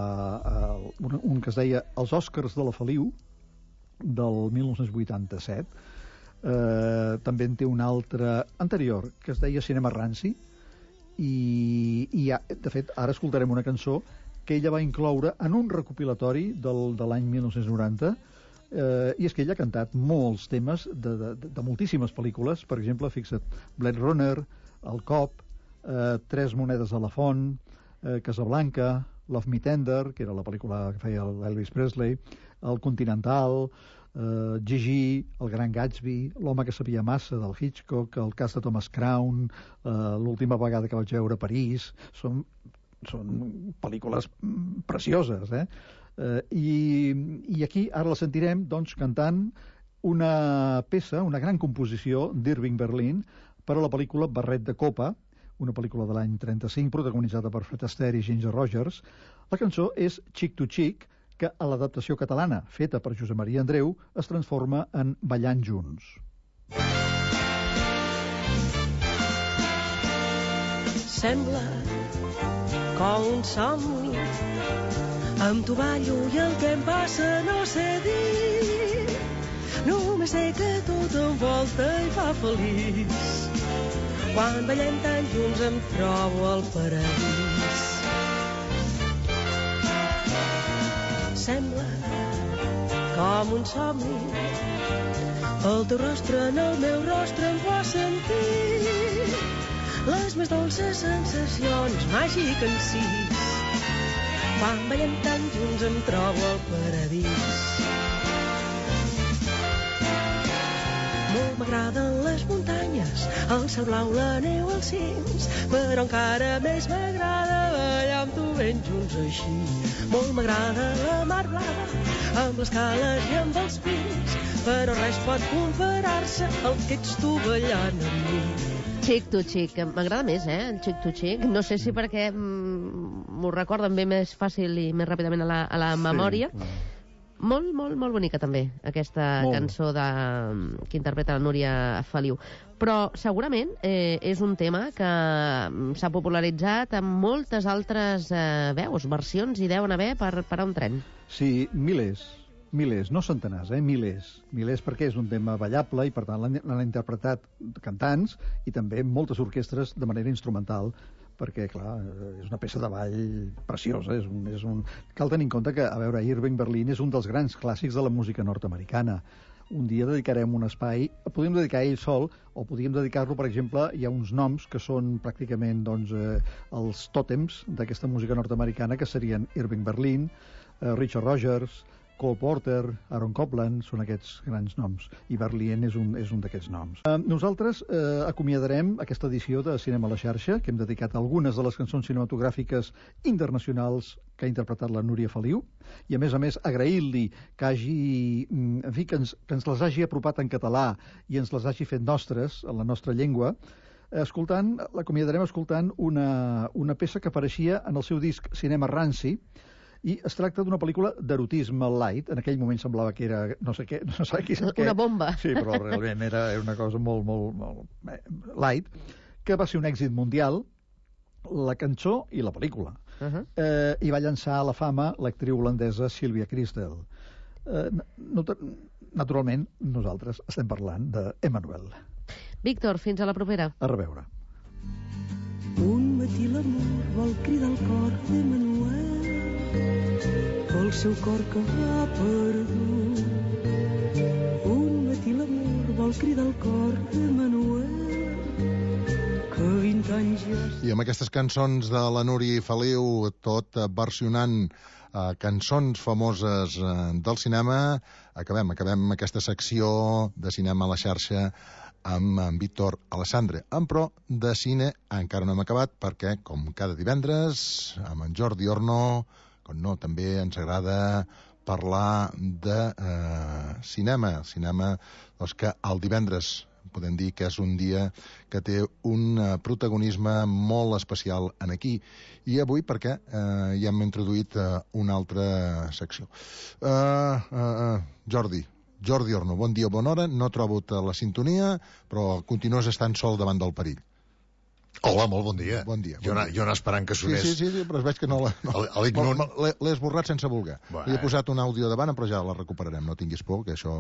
un, un que es deia Els Oscars de la Feliu, del mil nou-cents vuitanta-set. Eh, també en té un altre anterior, que es deia Cinema Ranci, i, i ha, de fet, ara escoltarem una cançó que ella va incloure en un recopilatori del, de l'any mil nou-cents noranta, eh, i és que ella ha cantat molts temes de, de, de moltíssimes pel·lícules. Per exemple, fixa't, Blade Runner, El Cop, eh, Tres monedes a la font, eh, Casablanca, Love Me Tender, que era la pel·lícula que feia l'Elvis Presley, El Continental, eh, Gigi, El Gran Gatsby, L'home que sabia massa, del Hitchcock, El cas de Thomas Crown, eh, L'última vegada que vaig veure París. Són són pel·lícules precioses, eh? eh i, I aquí ara la sentirem doncs, cantant una peça, una gran composició d'Irving Berlin per a la pel·lícula Barret de Copa, una pel·lícula de l'any trenta-cinc protagonitzada per Fred Astaire i Ginger Rogers. La cançó és Chick to Chick, que a l'adaptació catalana, feta per Josep Maria Andreu, es transforma en Ballant junts. Sembla com un somni, amb tu ballo i el que em passa no sé dir. Només sé que tot envolta i fa feliç. Quan ballem tan junts em trobo al paradís. Sembla com un somni, el teu rostre en el meu rostre em fa sentir les més dolces sensacions, màgic encís. Quan ballem tan junts em trobo al paradís. Molt m'agraden les muntanyes, el cel blau, la neu, els cims, però encara més m'agrada ballar amb tu ben junts així. Molt m'agrada la mar blava, amb les cales i amb els pins, però res pot comparar-se al que ets tu ballant amb mi. Chick to Chick, m'agrada més, eh, el Chick to Chick. No sé si perquè mm, m'ho recorden bé més fàcil i més ràpidament a la, a la memòria. Sí, molt, molt, molt bonica també, aquesta molt. cançó de, que interpreta la Núria Feliu. Però segurament eh, és un tema que s'ha popularitzat amb moltes altres eh, veus, versions, hi deuen haver per, per a un tren. Sí, milers. Milers, no centenars, eh? Milers. Milers perquè és un tema ballable i, per tant, l'han interpretat cantants i també moltes orquestres de manera instrumental, perquè, clar, és una peça de ball preciosa. És un, és un... Cal tenir en compte que, a veure, Irving Berlin és un dels grans clàssics de la música nord-americana. Un dia dedicarem un espai, podríem dedicar a ell sol, o podríem dedicar-lo, per exemple, hi ha uns noms que són pràcticament doncs, eh, els tòtems d'aquesta música nord-americana, que serien Irving Berlin, eh, Richard Rogers, Cole Porter, Aaron Copland, són aquests grans noms, i Berlin és un, és un d'aquests noms. Eh, nosaltres eh, acomiadarem aquesta edició de Cinema a la xarxa, que hem dedicat a algunes de les cançons cinematogràfiques internacionals que ha interpretat la Núria Feliu, i a més a més agrair-li que hagi, en fi, que ens, que ens les hagi apropat en català i ens les hagi fet nostres, en la nostra llengua, escoltant, l'acomiadarem escoltant una, una peça que apareixia en el seu disc Cinema Ranci, i es tracta d'una pel·lícula d'erotisme light. En aquell moment semblava que era no sé què, no sé qui sap què. Una bomba. Sí, però realment era una cosa molt, molt, molt light, que va ser un èxit mundial, la cançó i la pel·lícula. Uh -huh. eh, I va llançar a la fama l'actriu holandesa Sylvia Kristel. Eh, naturalment, nosaltres estem parlant d'Emmanuel. Víctor, fins a la propera. A reveure. Un matí l'amor vol cridar el cor d'Emmanuel, el seu cor que va perdut. Un matí l'amor vol cridar el cor d'Emmanuel, que vint anys ja... I amb aquestes cançons de la Núria Feliu, tot versionant eh, cançons famoses eh, del cinema, acabem, acabem aquesta secció de Cinema a la xarxa amb en Víctor Alessandre. En pro de cine encara no hem acabat perquè, com cada divendres, amb en Jordi Orno, com no, també ens agrada parlar de eh, cinema. Cinema doncs, que el divendres podem dir que és un dia que té un uh, protagonisme molt especial en aquí. I avui perquè uh, ja hem introduït uh, una altra secció. Uh, uh, uh, Jordi, Jordi Orno, bon dia, bona hora. No trobo la sintonia, però continues estant sol davant del perill. Hola, molt bon dia. Bon dia. Jo, bon anar, dia. jo anar esperant que sonés... Sí, sí, sí, però es veig que no l'he no, no, l'he esborrat sense voler. Bueno. Li he posat un àudio davant, però ja la recuperarem. No tinguis por, que això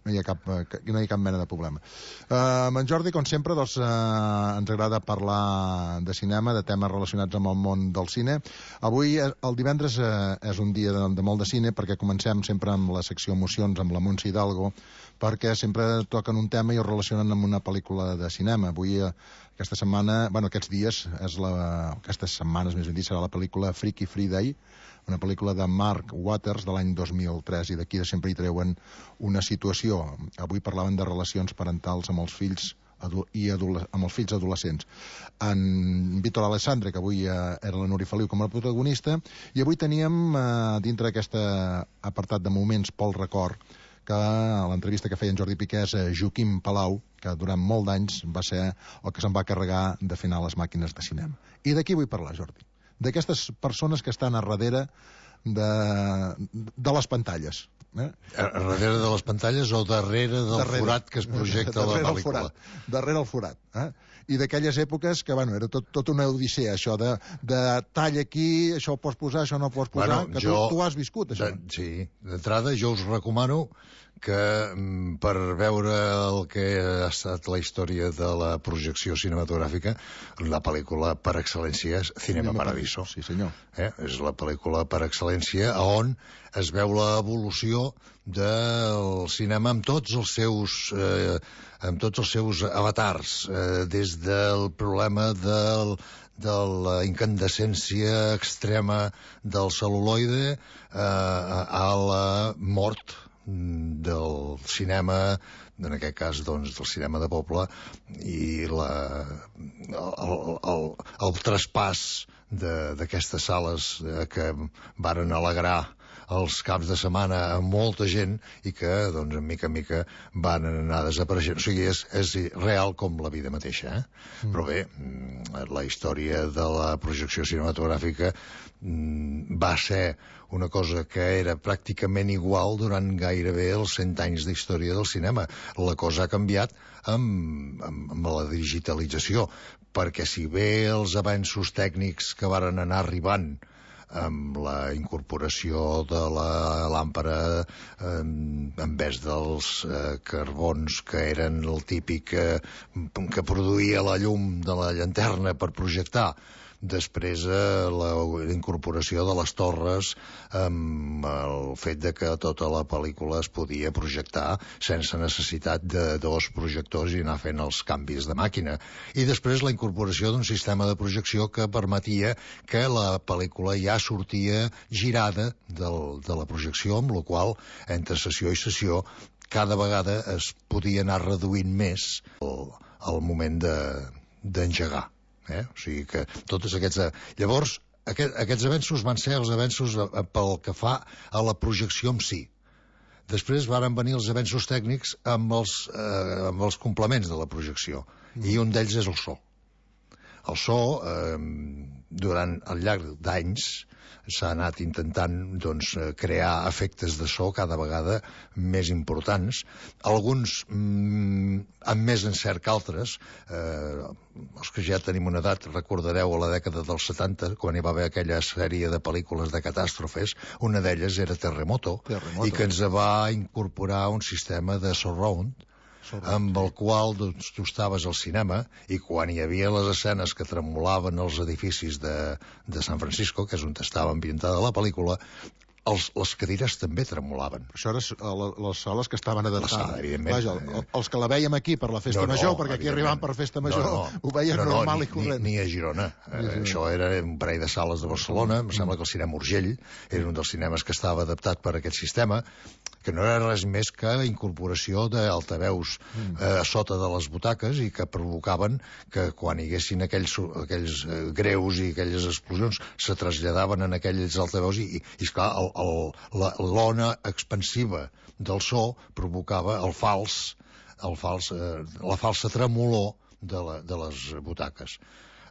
no hi ha cap, no hi ha cap mena de problema. Uh, amb en Jordi, com sempre, doncs, uh, ens agrada parlar de cinema, de temes relacionats amb el món del cine. Avui, el divendres, uh, és un dia de, de molt de cine, perquè comencem sempre amb la secció Emocions, amb la Montse Hidalgo, perquè sempre toquen un tema i ho relacionen amb una pel·lícula de cinema. Avui, uh, aquesta setmana, bueno, aquests dies, és la, aquestes setmanes, més ben dit, serà la pel·lícula Freaky Friday, una pel·lícula de Mark Waters de l'any dos mil tres, i d'aquí sempre hi treuen una situació. Avui parlaven de relacions parentals amb els fills i amb els fills adolescents. En Víctor Alessandre, que avui eh, era la Núria Feliu com a protagonista, i avui teníem eh, dintre d'aquest apartat de moments pel record, que a l'entrevista que feia en Jordi Piqué és Joaquim Palau, que durant molt d'anys va ser el que se'n va carregar de fer anar les màquines de cinema. I d'aquí vull parlar, Jordi. D'aquestes persones que estan a darrere de, de les pantalles. Eh? A darrere de les pantalles o darrere del darrere, forat que es projecta a la pel·lícula? El darrere el forat. Eh? I d'aquelles èpoques que, bueno, era tot, tot una odissea, això de, de tall aquí, això ho pots posar, això no ho pots posar, bueno, que jo, tu, tu has viscut, això. De, sí, d'entrada jo us recomano que per veure el que ha estat la història de la projecció cinematogràfica, la pel·lícula per excel·lència és Cinema Paradiso. Sí, senyor. Eh? És la pel·lícula per excel·lència on es veu l'evolució del cinema amb tots els seus eh, amb tots els seus avatars, eh, des del problema del de la incandescència extrema del cel·luloide eh, a la mort del cinema, en aquest cas doncs del cinema de poble, i la, el, el, el traspàs d'aquestes sales eh, que varen alegrar els caps de setmana a molta gent i que, doncs, en mica en mica van anar desapareixent. O sigui, és, és real com la vida mateixa, eh? Mm. Però bé, la història de la projecció cinematogràfica mm, va ser una cosa que era pràcticament igual durant gairebé els cent anys d'història del cinema. La cosa ha canviat amb, amb, amb la digitalització, perquè si bé els avenços tècnics que varen anar arribant amb la incorporació de la làmpara eh, en vez dels eh, carbons que eren el típic eh, que produïa la llum de la llanterna per projectar, després eh, la incorporació de les torres amb el fet de que tota la pel·lícula es podia projectar sense necessitat de dos projectors i anar fent els canvis de màquina, i després la incorporació d'un sistema de projecció que permetia que la pel·lícula ja sortia girada del, de la projecció, amb la qual entre sessió i sessió cada vegada es podia anar reduint més el, el moment d'engegar. De, Eh? O sigui que tots aquests... Llavors, aquest, aquests avenços van ser els avenços pel que fa a la projecció en si. Després varen venir els avenços tècnics amb els, eh, amb els complements de la projecció, mm. i un d'ells és el so. El so, eh, durant el llarg d'anys, s'ha anat intentant doncs, crear efectes de so cada vegada més importants, alguns mm, amb més encert que altres. Eh, els que ja tenim una edat recordareu a la dècada dels setanta, quan hi va haver aquella sèrie de pel·lícules de catàstrofes, una d'elles era Terremoto, Terremoto, i que ens va incorporar un sistema de surround, amb el qual doncs, tu estaves al cinema i quan hi havia les escenes que tremolaven els edificis de, de San Francisco, que és on estava ambientada la pel·lícula, els, les cadires també tremolaven. Això eren les sales que estaven adaptades. La sala, evidentment. Vaja, el, els que la vèiem aquí per la festa no, no, major, perquè aquí arribàvem per festa major, no, no, ho veiem no, no, normal ni, i corrent. Ni, ni a Girona. Eh, això era un parell de sales de Barcelona, em sembla que el cinema Urgell era un dels cinemes que estava adaptat per aquest sistema, que no era res més que incorporació d'altaveus eh, a sota de les butaques i que provocaven que quan hi haguessin aquells, aquells eh, greus i aquelles explosions se traslladaven en aquells altaveus i, i, i esclar, el, el, la, l'ona expansiva del so provocava el fals el fals, eh, la falsa tremolor de, la, de les butaques.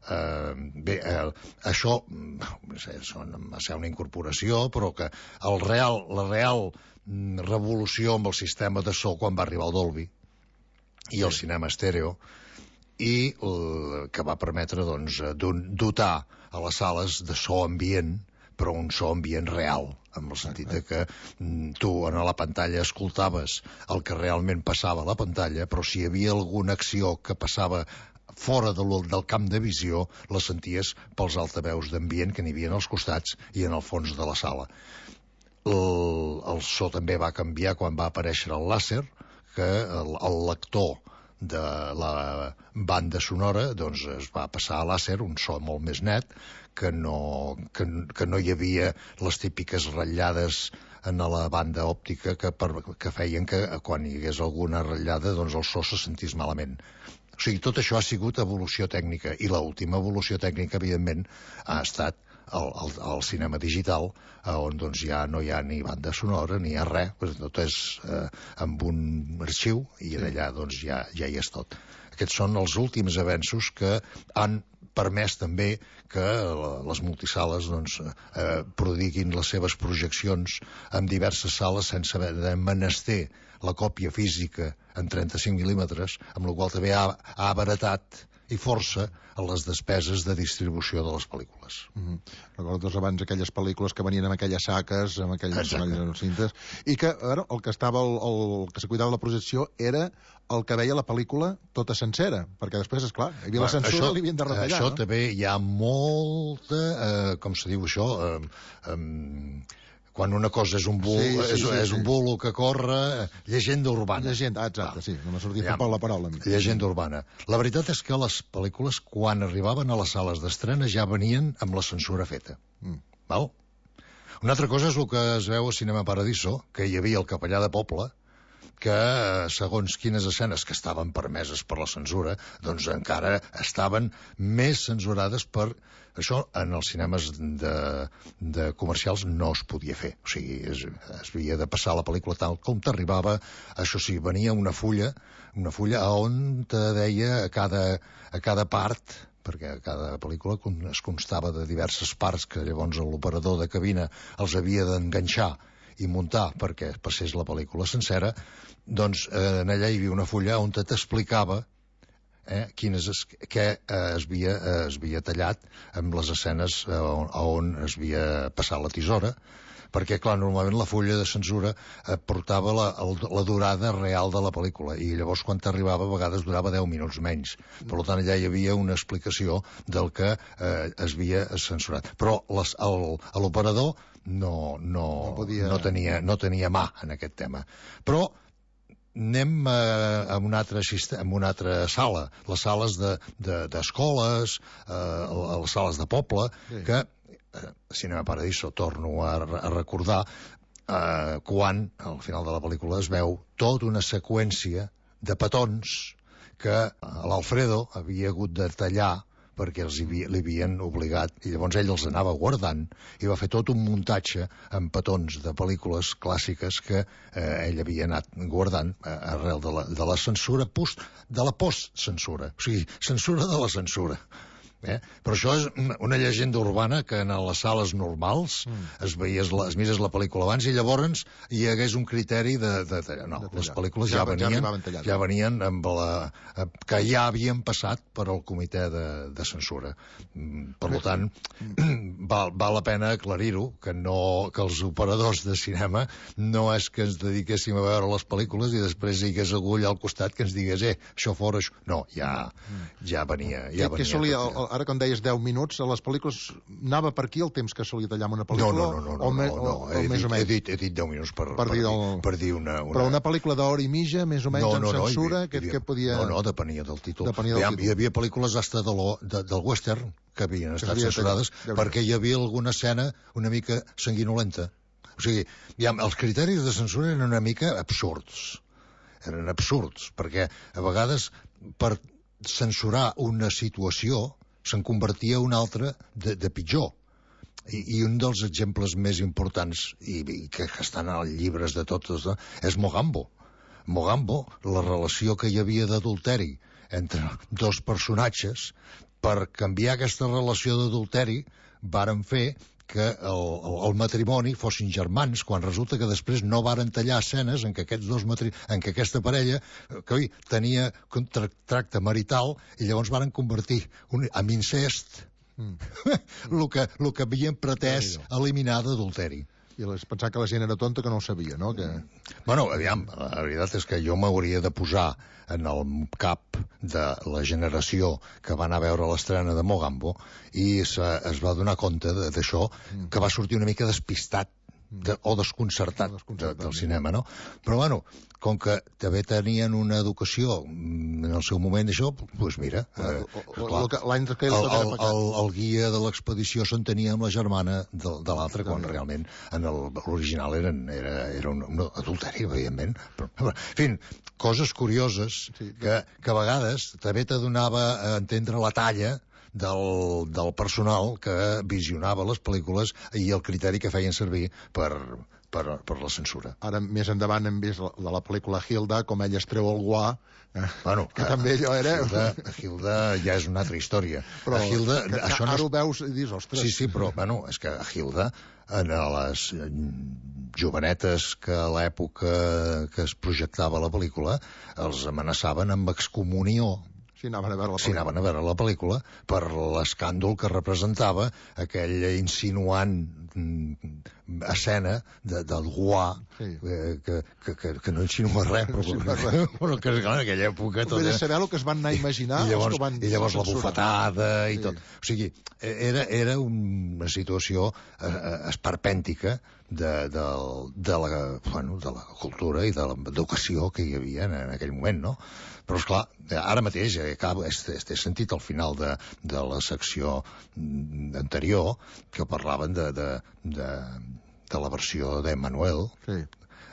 Eh, bé, eh, això no sé, va ser una incorporació, però que el real, la real revolució amb el sistema de so quan va arribar el Dolby i el cinema estèreo, i el, que va permetre doncs, dotar a les sales de so ambient, però un so ambient real, en el sentit de que tu a la pantalla escoltaves el que realment passava a la pantalla, però si hi havia alguna acció que passava fora de del camp de visió, la senties pels altaveus d'ambient que n'hi havia als costats i en el fons de la sala. El, el so també va canviar quan va aparèixer el làser, que el, el lector de la banda sonora doncs es va passar a làser, un so molt més net, que no, que, que no hi havia les típiques ratllades en la banda òptica que, per, que feien que quan hi hagués alguna ratllada doncs el so se sentís malament. O sigui, tot això ha sigut evolució tècnica, i l'última evolució tècnica, evidentment, ha estat el, el, el cinema digital, on doncs ja no hi ha ni banda sonora, ni hi ha res, tot és eh, amb un arxiu, i allà doncs ja, ja hi és tot. Aquests són els últims avenços que han permès també que les multisales doncs, eh, prodiguin les seves projeccions en diverses sales sense haver de menester la còpia física en trenta-cinc mil·límetres, amb la qual també ha, ha abaratat i força a les despeses de distribució de les pel·lícules. Mm-hmm. Recordo doncs, abans aquelles pel·lícules que venien amb aquelles saques, amb aquelles cintes, i que ara, el que estava el, el que se cuidava la projecció era el que veia la pel·lícula tota sencera, perquè després, és clar, hi havia la censura, això, li havien de retallar. Això no? també hi ha molta, eh, com se diu això, eh, eh, quan una cosa és un bulo, sí, sí, és, sí, és un bulo que corre, llegenda urbana. Llegenda, ah, exacte, ah, sí, no m'ha sortit ja, la paraula. Llegenda urbana. La veritat és que les pel·lícules, quan arribaven a les sales d'estrena, ja venien amb la censura feta. Mm. Val? Una altra cosa és el que es veu a Cinema Paradiso, que hi havia el capellà de poble, que segons quines escenes que estaven permeses per la censura, doncs encara estaven més censurades per això. En els cinemes de, de comercials no es podia fer, o sigui, es, es havia de passar la pel·lícula tal com t'arribava. Això sí, venia una fulla, una fulla on te deia a cada, a cada part, perquè cada pel·lícula es constava de diverses parts que llavors l'operador de cabina els havia d'enganxar i muntar perquè passés la pel·lícula sencera, doncs eh, en allà hi havia una fulla on t'explicava eh, quines es, què eh, es, havia, eh, es havia tallat amb les escenes eh, on, on es havia passat la tisora, perquè, clar, normalment la fulla de censura eh, portava la, la durada real de la pel·lícula, i llavors quan t'arribava a vegades durava deu minuts menys. Per tant, allà hi havia una explicació del que eh, es havia censurat. Però l'operador no, no, no, podia... no, tenia, no tenia mà en aquest tema. Però anem a, a, una altra, a una altra sala, les sales d'escoles, de, de, eh, les sales de poble, sí. que eh, Cinema Paradiso, torno a, a recordar, eh, quan al final de la pel·lícula es veu tota una seqüència de petons que l'Alfredo havia hagut de tallar perquè els li havien obligat, i llavors ell els anava guardant i va fer tot un muntatge amb petons de pel·lícules clàssiques que eh, ell havia anat guardant eh, arrel de la, de la censura post, de la post-censura, o sigui, censura de la censura. Eh? Però això és una llegenda urbana que en les sales normals mm. es veies la, es mires la pel·lícula abans i llavors hi hagués un criteri de, de, de no, de les pel·lícules ja, ja venien ja, ja venien amb la, que ja havien passat per al comitè de, de censura. Per tant, val, val la pena aclarir-ho, que no, que els operadors de cinema no és que ens dediquéssim a veure les pel·lícules i després hi hagués algú allà al costat que ens digués, eh, això fora, això... No, ja, ja venia, ja venia. Què solia, ara quan deies deu minuts, a les pel·lícules anava per aquí el temps que solia tallar una pel·lícula? No, no, no, no, o me, no, no, o, he, o més dit, o menys? he, dit, he dit deu minuts per, per, per, dir, el, el... per dir una, una... Però una pel·lícula d'hora i mitja, més o menys, no, amb no, censura, no, que, havia... que podia... No, no, depenia del títol. Depenia del hi, títol. Hi havia pel·lícules hasta de lo, de, del western que havien que estat censurades perquè hi havia alguna escena una mica sanguinolenta. O sigui, ja, els criteris de censura eren una mica absurds. Eren absurds, perquè a vegades per censurar una situació se'n convertia una altra de, de pitjor. I, I un dels exemples més importants, i, i que estan als llibres de tots, no, és Mogambo. Mogambo, la relació que hi havia d'adulteri entre dos personatges, per canviar aquesta relació d'adulteri varen fer que el, el, el matrimoni fossin germans, quan resulta que després no varen tallar escenes en què aquests dos matri... en què aquesta parella que oi, tenia tracte marital i llavors varen convertir un, en incest mm. el, que, el que havien pretès eliminar d'adulteri. I es pensar que la gent era tonta que no ho sabia, no? Que... Bueno, aviam, la veritat és que jo m'hauria de posar en el cap de la generació que va anar a veure l'estrena de Mogambo i se, es va donar compte d'això, mm. que va sortir una mica despistat de, o desconcertat, desconcertat de, del cinema, no? Però, bueno, com que també tenien una educació en el seu moment, això, doncs mira... Eh, L'any que el, el, el, el guia de l'expedició s'entenia amb la germana de, de l'altre, quan realment en l'original era, era un, un adulteri, evidentment. Però, en fi, coses curioses que, que a vegades també te donava a entendre la talla del, del personal que visionava les pel·lícules i el criteri que feien servir per, per, per la censura. Ara, més endavant, hem vist la, de la pel·lícula Hilda, com ella es treu el guà, eh, bueno, que eh, també allò era... Hilda, Hilda ja és una altra història. Però a Hilda, que, això ara no és... ho veus i dius, ostres... Sí, sí, però, bueno, és que a Hilda, en les jovenetes que a l'època que es projectava la pel·lícula, els amenaçaven amb excomunió. Si anaven a veure la pel·lícula. Si anaven a veure la pel·lícula, per l'escàndol que representava aquella insinuant escena de, del guà, sí. eh, que, que, que, que no insinua res, però, no res. Però que en aquella època... Tot era saber el que es van anar a imaginar. I llavors, van i llavors la bufetada i sí. tot. O sigui, era, era una situació eh, esperpèntica de, de, de, la, bueno, de la cultura i de l'educació que hi havia en, en aquell moment, no? Però, esclar, ara mateix, eh, acabo, he, he sentit al final de, de la secció anterior que parlaven de, de, de, de la versió d'Emmanuel. Sí.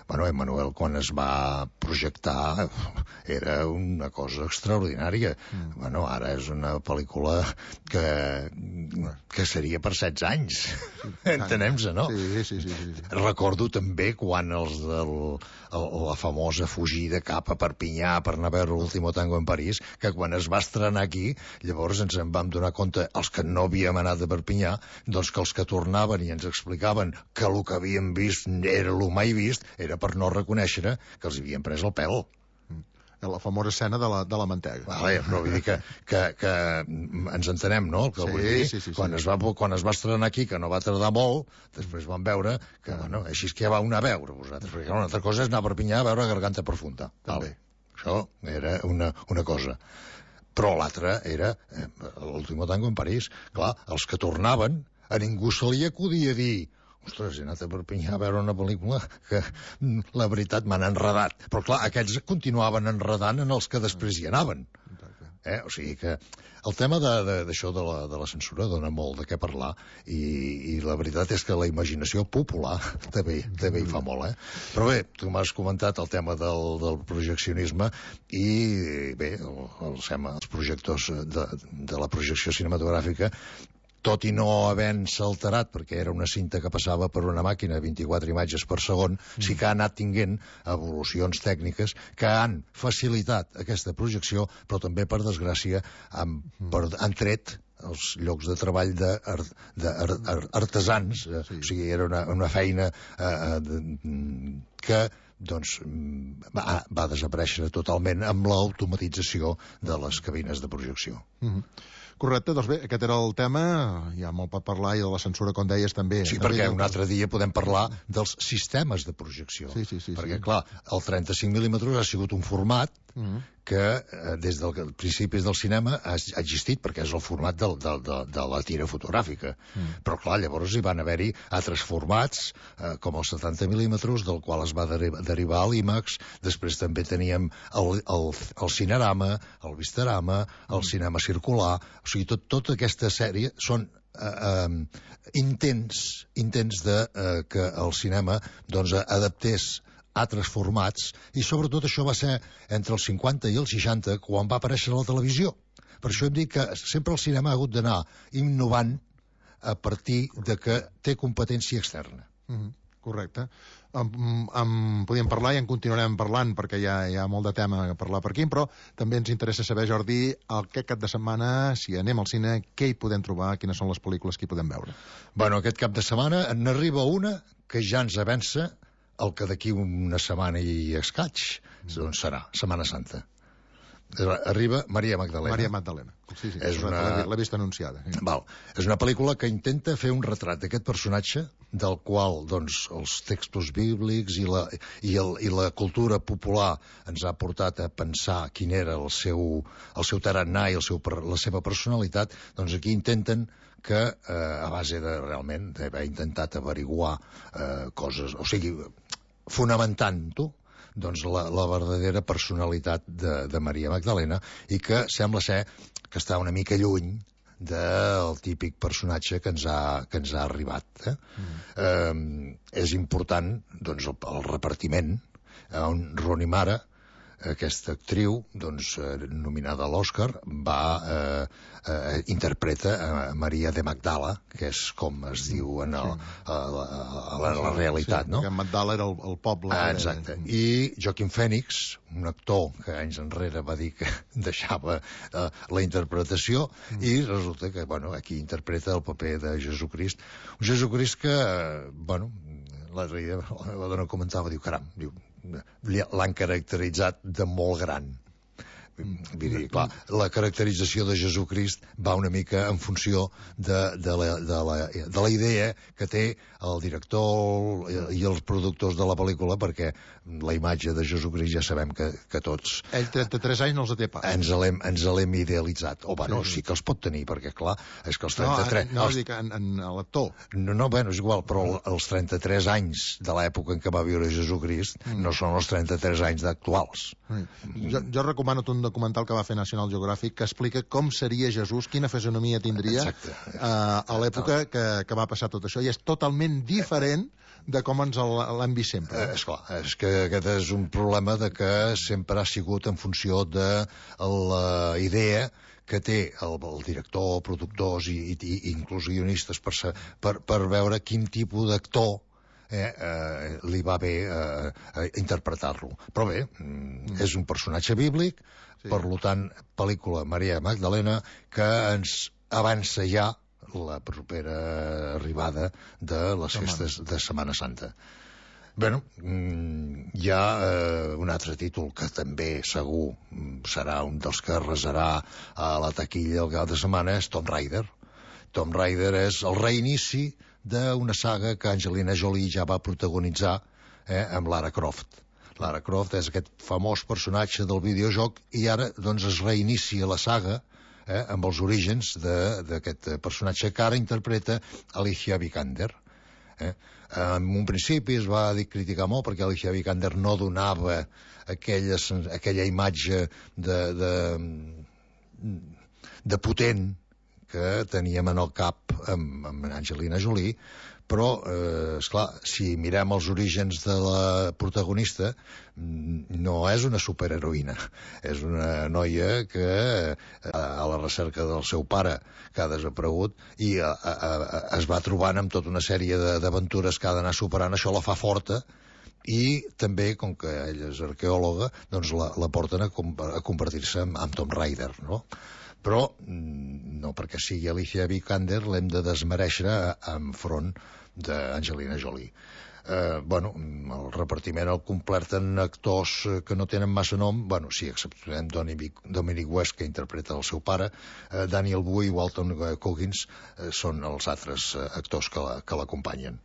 Bueno, Emmanuel, quan es va projectar, era una cosa extraordinària. Mm. Bueno, ara és una pel·lícula que, que seria per setze anys. Sí, entenem-se, no? Sí, sí, sí, sí, sí. Recordo també quan els del el, la famosa fugida cap a Perpinyà per anar a veure l'Último Tango en París, que quan es va estrenar aquí, llavors ens en vam donar compte, els que no havíem anat a Perpinyà, doncs que els que tornaven i ens explicaven que el que havíem vist era el mai vist, era per no reconèixer que els havien pres el pèl. La famosa escena de la, de la mantega. Vale, però vull dir que, que, que ens entenem, no? Que sí, vull dir, sí, sí, quan, sí. Es va, quan es va estrenar aquí, que no va tardar molt, després vam veure que, bueno, així és que ja vau anar a veure vosaltres, perquè una altra cosa és anar a Perpinyà a veure Garganta Profunda. Vale. Això era una, una cosa. Però l'altra era eh, l'Último Tango en París. Clar, els que tornaven, a ningú se li acudia dir ostres, he anat a Perpinyà a veure una pel·lícula que, la veritat, m'han enredat. Però, clar, aquests continuaven enredant en els que després hi anaven. Eh? O sigui que el tema d'això de, de, de, la, de la censura dona molt de què parlar i, i la veritat és que la imaginació popular també, també hi fa molt, eh? Però bé, tu m'has comentat el tema del, del projeccionisme i bé, el, el, els projectors de, de la projecció cinematogràfica, tot i no havent-se alterat, perquè era una cinta que passava per una màquina vint-i-quatre imatges per segon, mm. sí que ha anat tinguent evolucions tècniques que han facilitat aquesta projecció, però també, per desgràcia, han, mm. per, han tret els llocs de treball d'artesans. Sí. O sigui, era una, una feina eh, de, que doncs, va, va desaparèixer totalment amb l'automatització de les cabines de projecció. Mm-hmm. Correcte, doncs bé, aquest era el tema, hi ha molt per parlar, i de la censura, com deies, també. Sí, perquè un altre dia podem parlar dels sistemes de projecció. Sí, sí, sí. Perquè, sí. clar, el trenta-cinc mil·límetres ha sigut un format mm-hmm. que eh, des dels principis del cinema ha, ha existit, perquè és el format de, de, de, de la tira fotogràfica. Mm. Però, clar, llavors hi van haver-hi altres formats, eh, com els setanta mil·límetres, del qual es va derivar, derivar a l'IMAX. Després també teníem el, el, el cinerama, el visterama, el mm. cinema circular. O sigui, tot, tota aquesta sèrie són eh, eh, intents, intents de eh, que el cinema doncs, adaptés altres formats, i sobretot això va ser entre els cinquanta i els seixanta, quan va aparèixer la televisió. Per això hem dit que sempre el cinema ha hagut d'anar innovant a partir de que té competència externa. Mm-hmm. Correcte. en, en podíem parlar i en continuarem parlant perquè hi ha, hi ha molt de tema a parlar per aquí, però també ens interessa saber, Jordi, aquest cap de setmana, si anem al cine, què hi podem trobar, quines són les pel·lícules que hi podem veure? Bueno, aquest cap de setmana n'arriba una que ja ens avança el que d'aquí una setmana i escaig doncs serà Setmana Santa. Arriba Maria Magdalena. Maria Magdalena. Sí, sí, és una... l'he vist anunciada. Sí. Val. És una pel·lícula que intenta fer un retrat d'aquest personatge del qual doncs, els textos bíblics i la, i, el, i la cultura popular ens ha portat a pensar quin era el seu, el seu tarannà i el seu, la seva personalitat. Doncs aquí intenten que, eh, a base de realment d'haver intentat averiguar eh, coses, o sigui, fonamentant-ho, doncs la, la verdadera personalitat de, de Maria Magdalena, i que sembla ser que està una mica lluny del típic personatge que ens ha, que ens ha arribat. Eh? Mm. Eh, és important doncs, el, el repartiment, on Rooney Mara, aquesta actriu, doncs, eh, nominada a l'Oscar, va eh, eh, interpreta a Maria de Magdala, que és com es diu en el, sí. a, la, a, la, a la realitat, sí, no? Perquè Magdala era el, el poble. Ah, exacte. I Joaquin Phoenix, un actor que anys enrere va dir que deixava eh, la interpretació, mm. i resulta que, bueno, aquí interpreta el paper de Jesucrist. Un Jesucrist que, eh, bueno, l'altre dia la dona comentava, diu, caram, diu, l'han caracteritzat de molt gran. Vull dir, clar, la caracterització de Jesucrist va una mica en funció de, de, la, de, la, de la idea que té el director i els productors de la pel·lícula, perquè la imatge de Jesucrist ja sabem que, que tots... Ell trenta-tres anys no els té pas. Ens l'hem ens l'hem idealitzat. O, bueno, sí. sí que els pot tenir, perquè, clar, és que els trenta-tres... No, no, els... dic en, en l'actor. No, no, bueno, és igual, però els trenta-tres anys de l'època en què va viure Jesucrist mm. no són els trenta-tres anys actuals. Mm. Jo, jo recomano un documental que va fer National Geographic que explica com seria Jesús, quina fisonomia tindria uh, a l'època que, que va passar tot això, i és totalment diferent de com ens l'hem vist sempre. Eh, esclar, és que aquest és un problema de que sempre ha sigut en funció de la idea que té el, el director, productors i, i, i inclús guionistes per, per, per veure quin tipus d'actor Eh, eh, li va bé eh, eh, interpretar-lo. Però bé, mm. és un personatge bíblic, sí. Per tant, pel·lícula Maria Magdalena, que ens avança ja la propera arribada de les festes de Setmana Santa. Bé, mm, hi ha eh, un altre títol que també segur serà un dels que arrasarà a la taquilla el cap de setmana, és Tomb Raider. Tomb Raider és el reinici d'una saga que Angelina Jolie ja va protagonitzar eh, amb Lara Croft. Lara Croft és aquest famós personatge del videojoc i ara doncs es reinicia la saga eh, amb els orígens d'aquest personatge que ara interpreta Alicia Vikander. Eh? En un principi es va dir criticar molt perquè Alicia Vikander no donava aquella, aquella imatge de, de, de potent que teníem en el cap amb, amb Angelina Jolie, però, eh, esclar, si mirem els orígens de la protagonista, no és una superheroïna, és una noia que eh, a la recerca del seu pare, que ha desaparegut, i a, a, a, es va trobant amb tota una sèrie d'aventures que ha d'anar superant. Això la fa forta, i també, com que ella és arqueòloga, doncs la, la porten a, a convertir-se en, en Tomb Raider, no? Però no perquè sigui Alicia Vikander l'hem de desmereixer enfront d'Angelina Jolie. Eh, bueno, el repartiment el completen actors que no tenen massa nom, bueno, sí, exceptuem Dominic West, que interpreta el seu pare, eh, Daniel Wu i Walton Goggins eh, són els altres actors que l'acompanyen.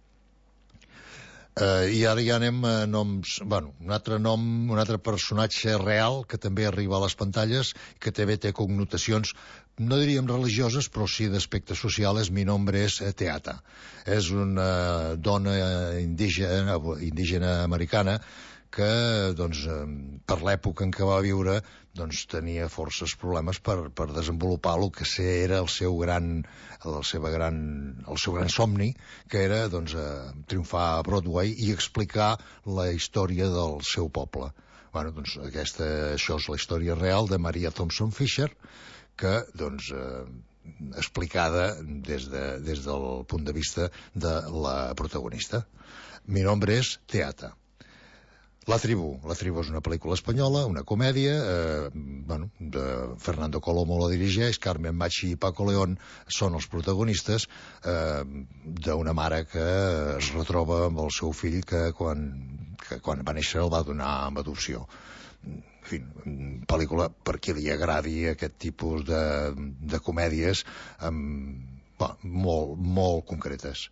Uh, I ara ja anem a noms... Bueno, un altre nom, un altre personatge real que també arriba a les pantalles, que també té connotacions, no diríem religioses, però sí d'aspecte social. És Mi nombre és Teata. És una dona indígena, indígena americana que, doncs, per l'època en què va viure, doncs, tenia forces problemes per, per desenvolupar el que era el seu gran, el seu gran, el seu gran somni, que era, doncs, eh, triomfar a Broadway i explicar la història del seu poble. Bueno, doncs, aquesta, això és la història real de Maria Thompson Fisher, que, doncs, eh, explicada des, de, des del punt de vista de la protagonista. Mi nombre es Teata. La tribu. La tribu és una pel·lícula espanyola, una comèdia, eh, bueno, de Fernando Colomo la dirigeix, Carmen Machi i Paco León són els protagonistes, eh, d'una mare que es retroba amb el seu fill que quan, que quan va néixer el va donar amb adopció. En fi, pel·lícula per qui li agradi aquest tipus de, de comèdies amb, bueno, molt, molt concretes.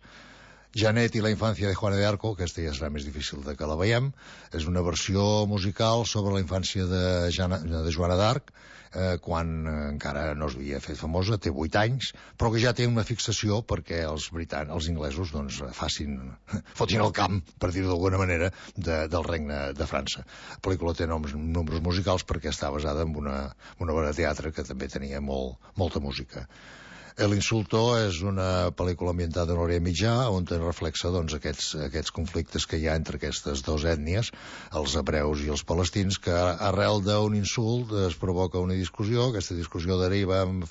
Janet i la infància de Juana de Arco, aquesta ja serà més difícil de que la veiem, és una versió musical sobre la infància de, Jana, de Joana d'Arc, eh, quan encara no es havia fet famosa, té vuit anys, però que ja té una fixació perquè els britans, els inglesos, doncs, facin, fotin el camp, per dir-ho d'alguna manera, de, del regne de França. La pel·lícula té noms, números musicals perquè està basada en una, una obra de teatre que també tenia molt, molta música. El Insulto és una pel·lícula ambientada a l'Orient Mitjà on es reflexa doncs, aquests, aquests conflictes que hi ha entre aquestes dues ètnies, els hebreus i els palestins, que arrel d'un insult es provoca una discussió, aquesta discussió deriva en,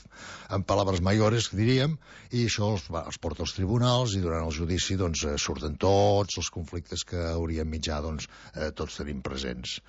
en paraules mayores, diríem, i això els, els porta als tribunals i durant el judici doncs, surten tots els conflictes que a Orient Mitjà doncs, eh, tots tenim presents.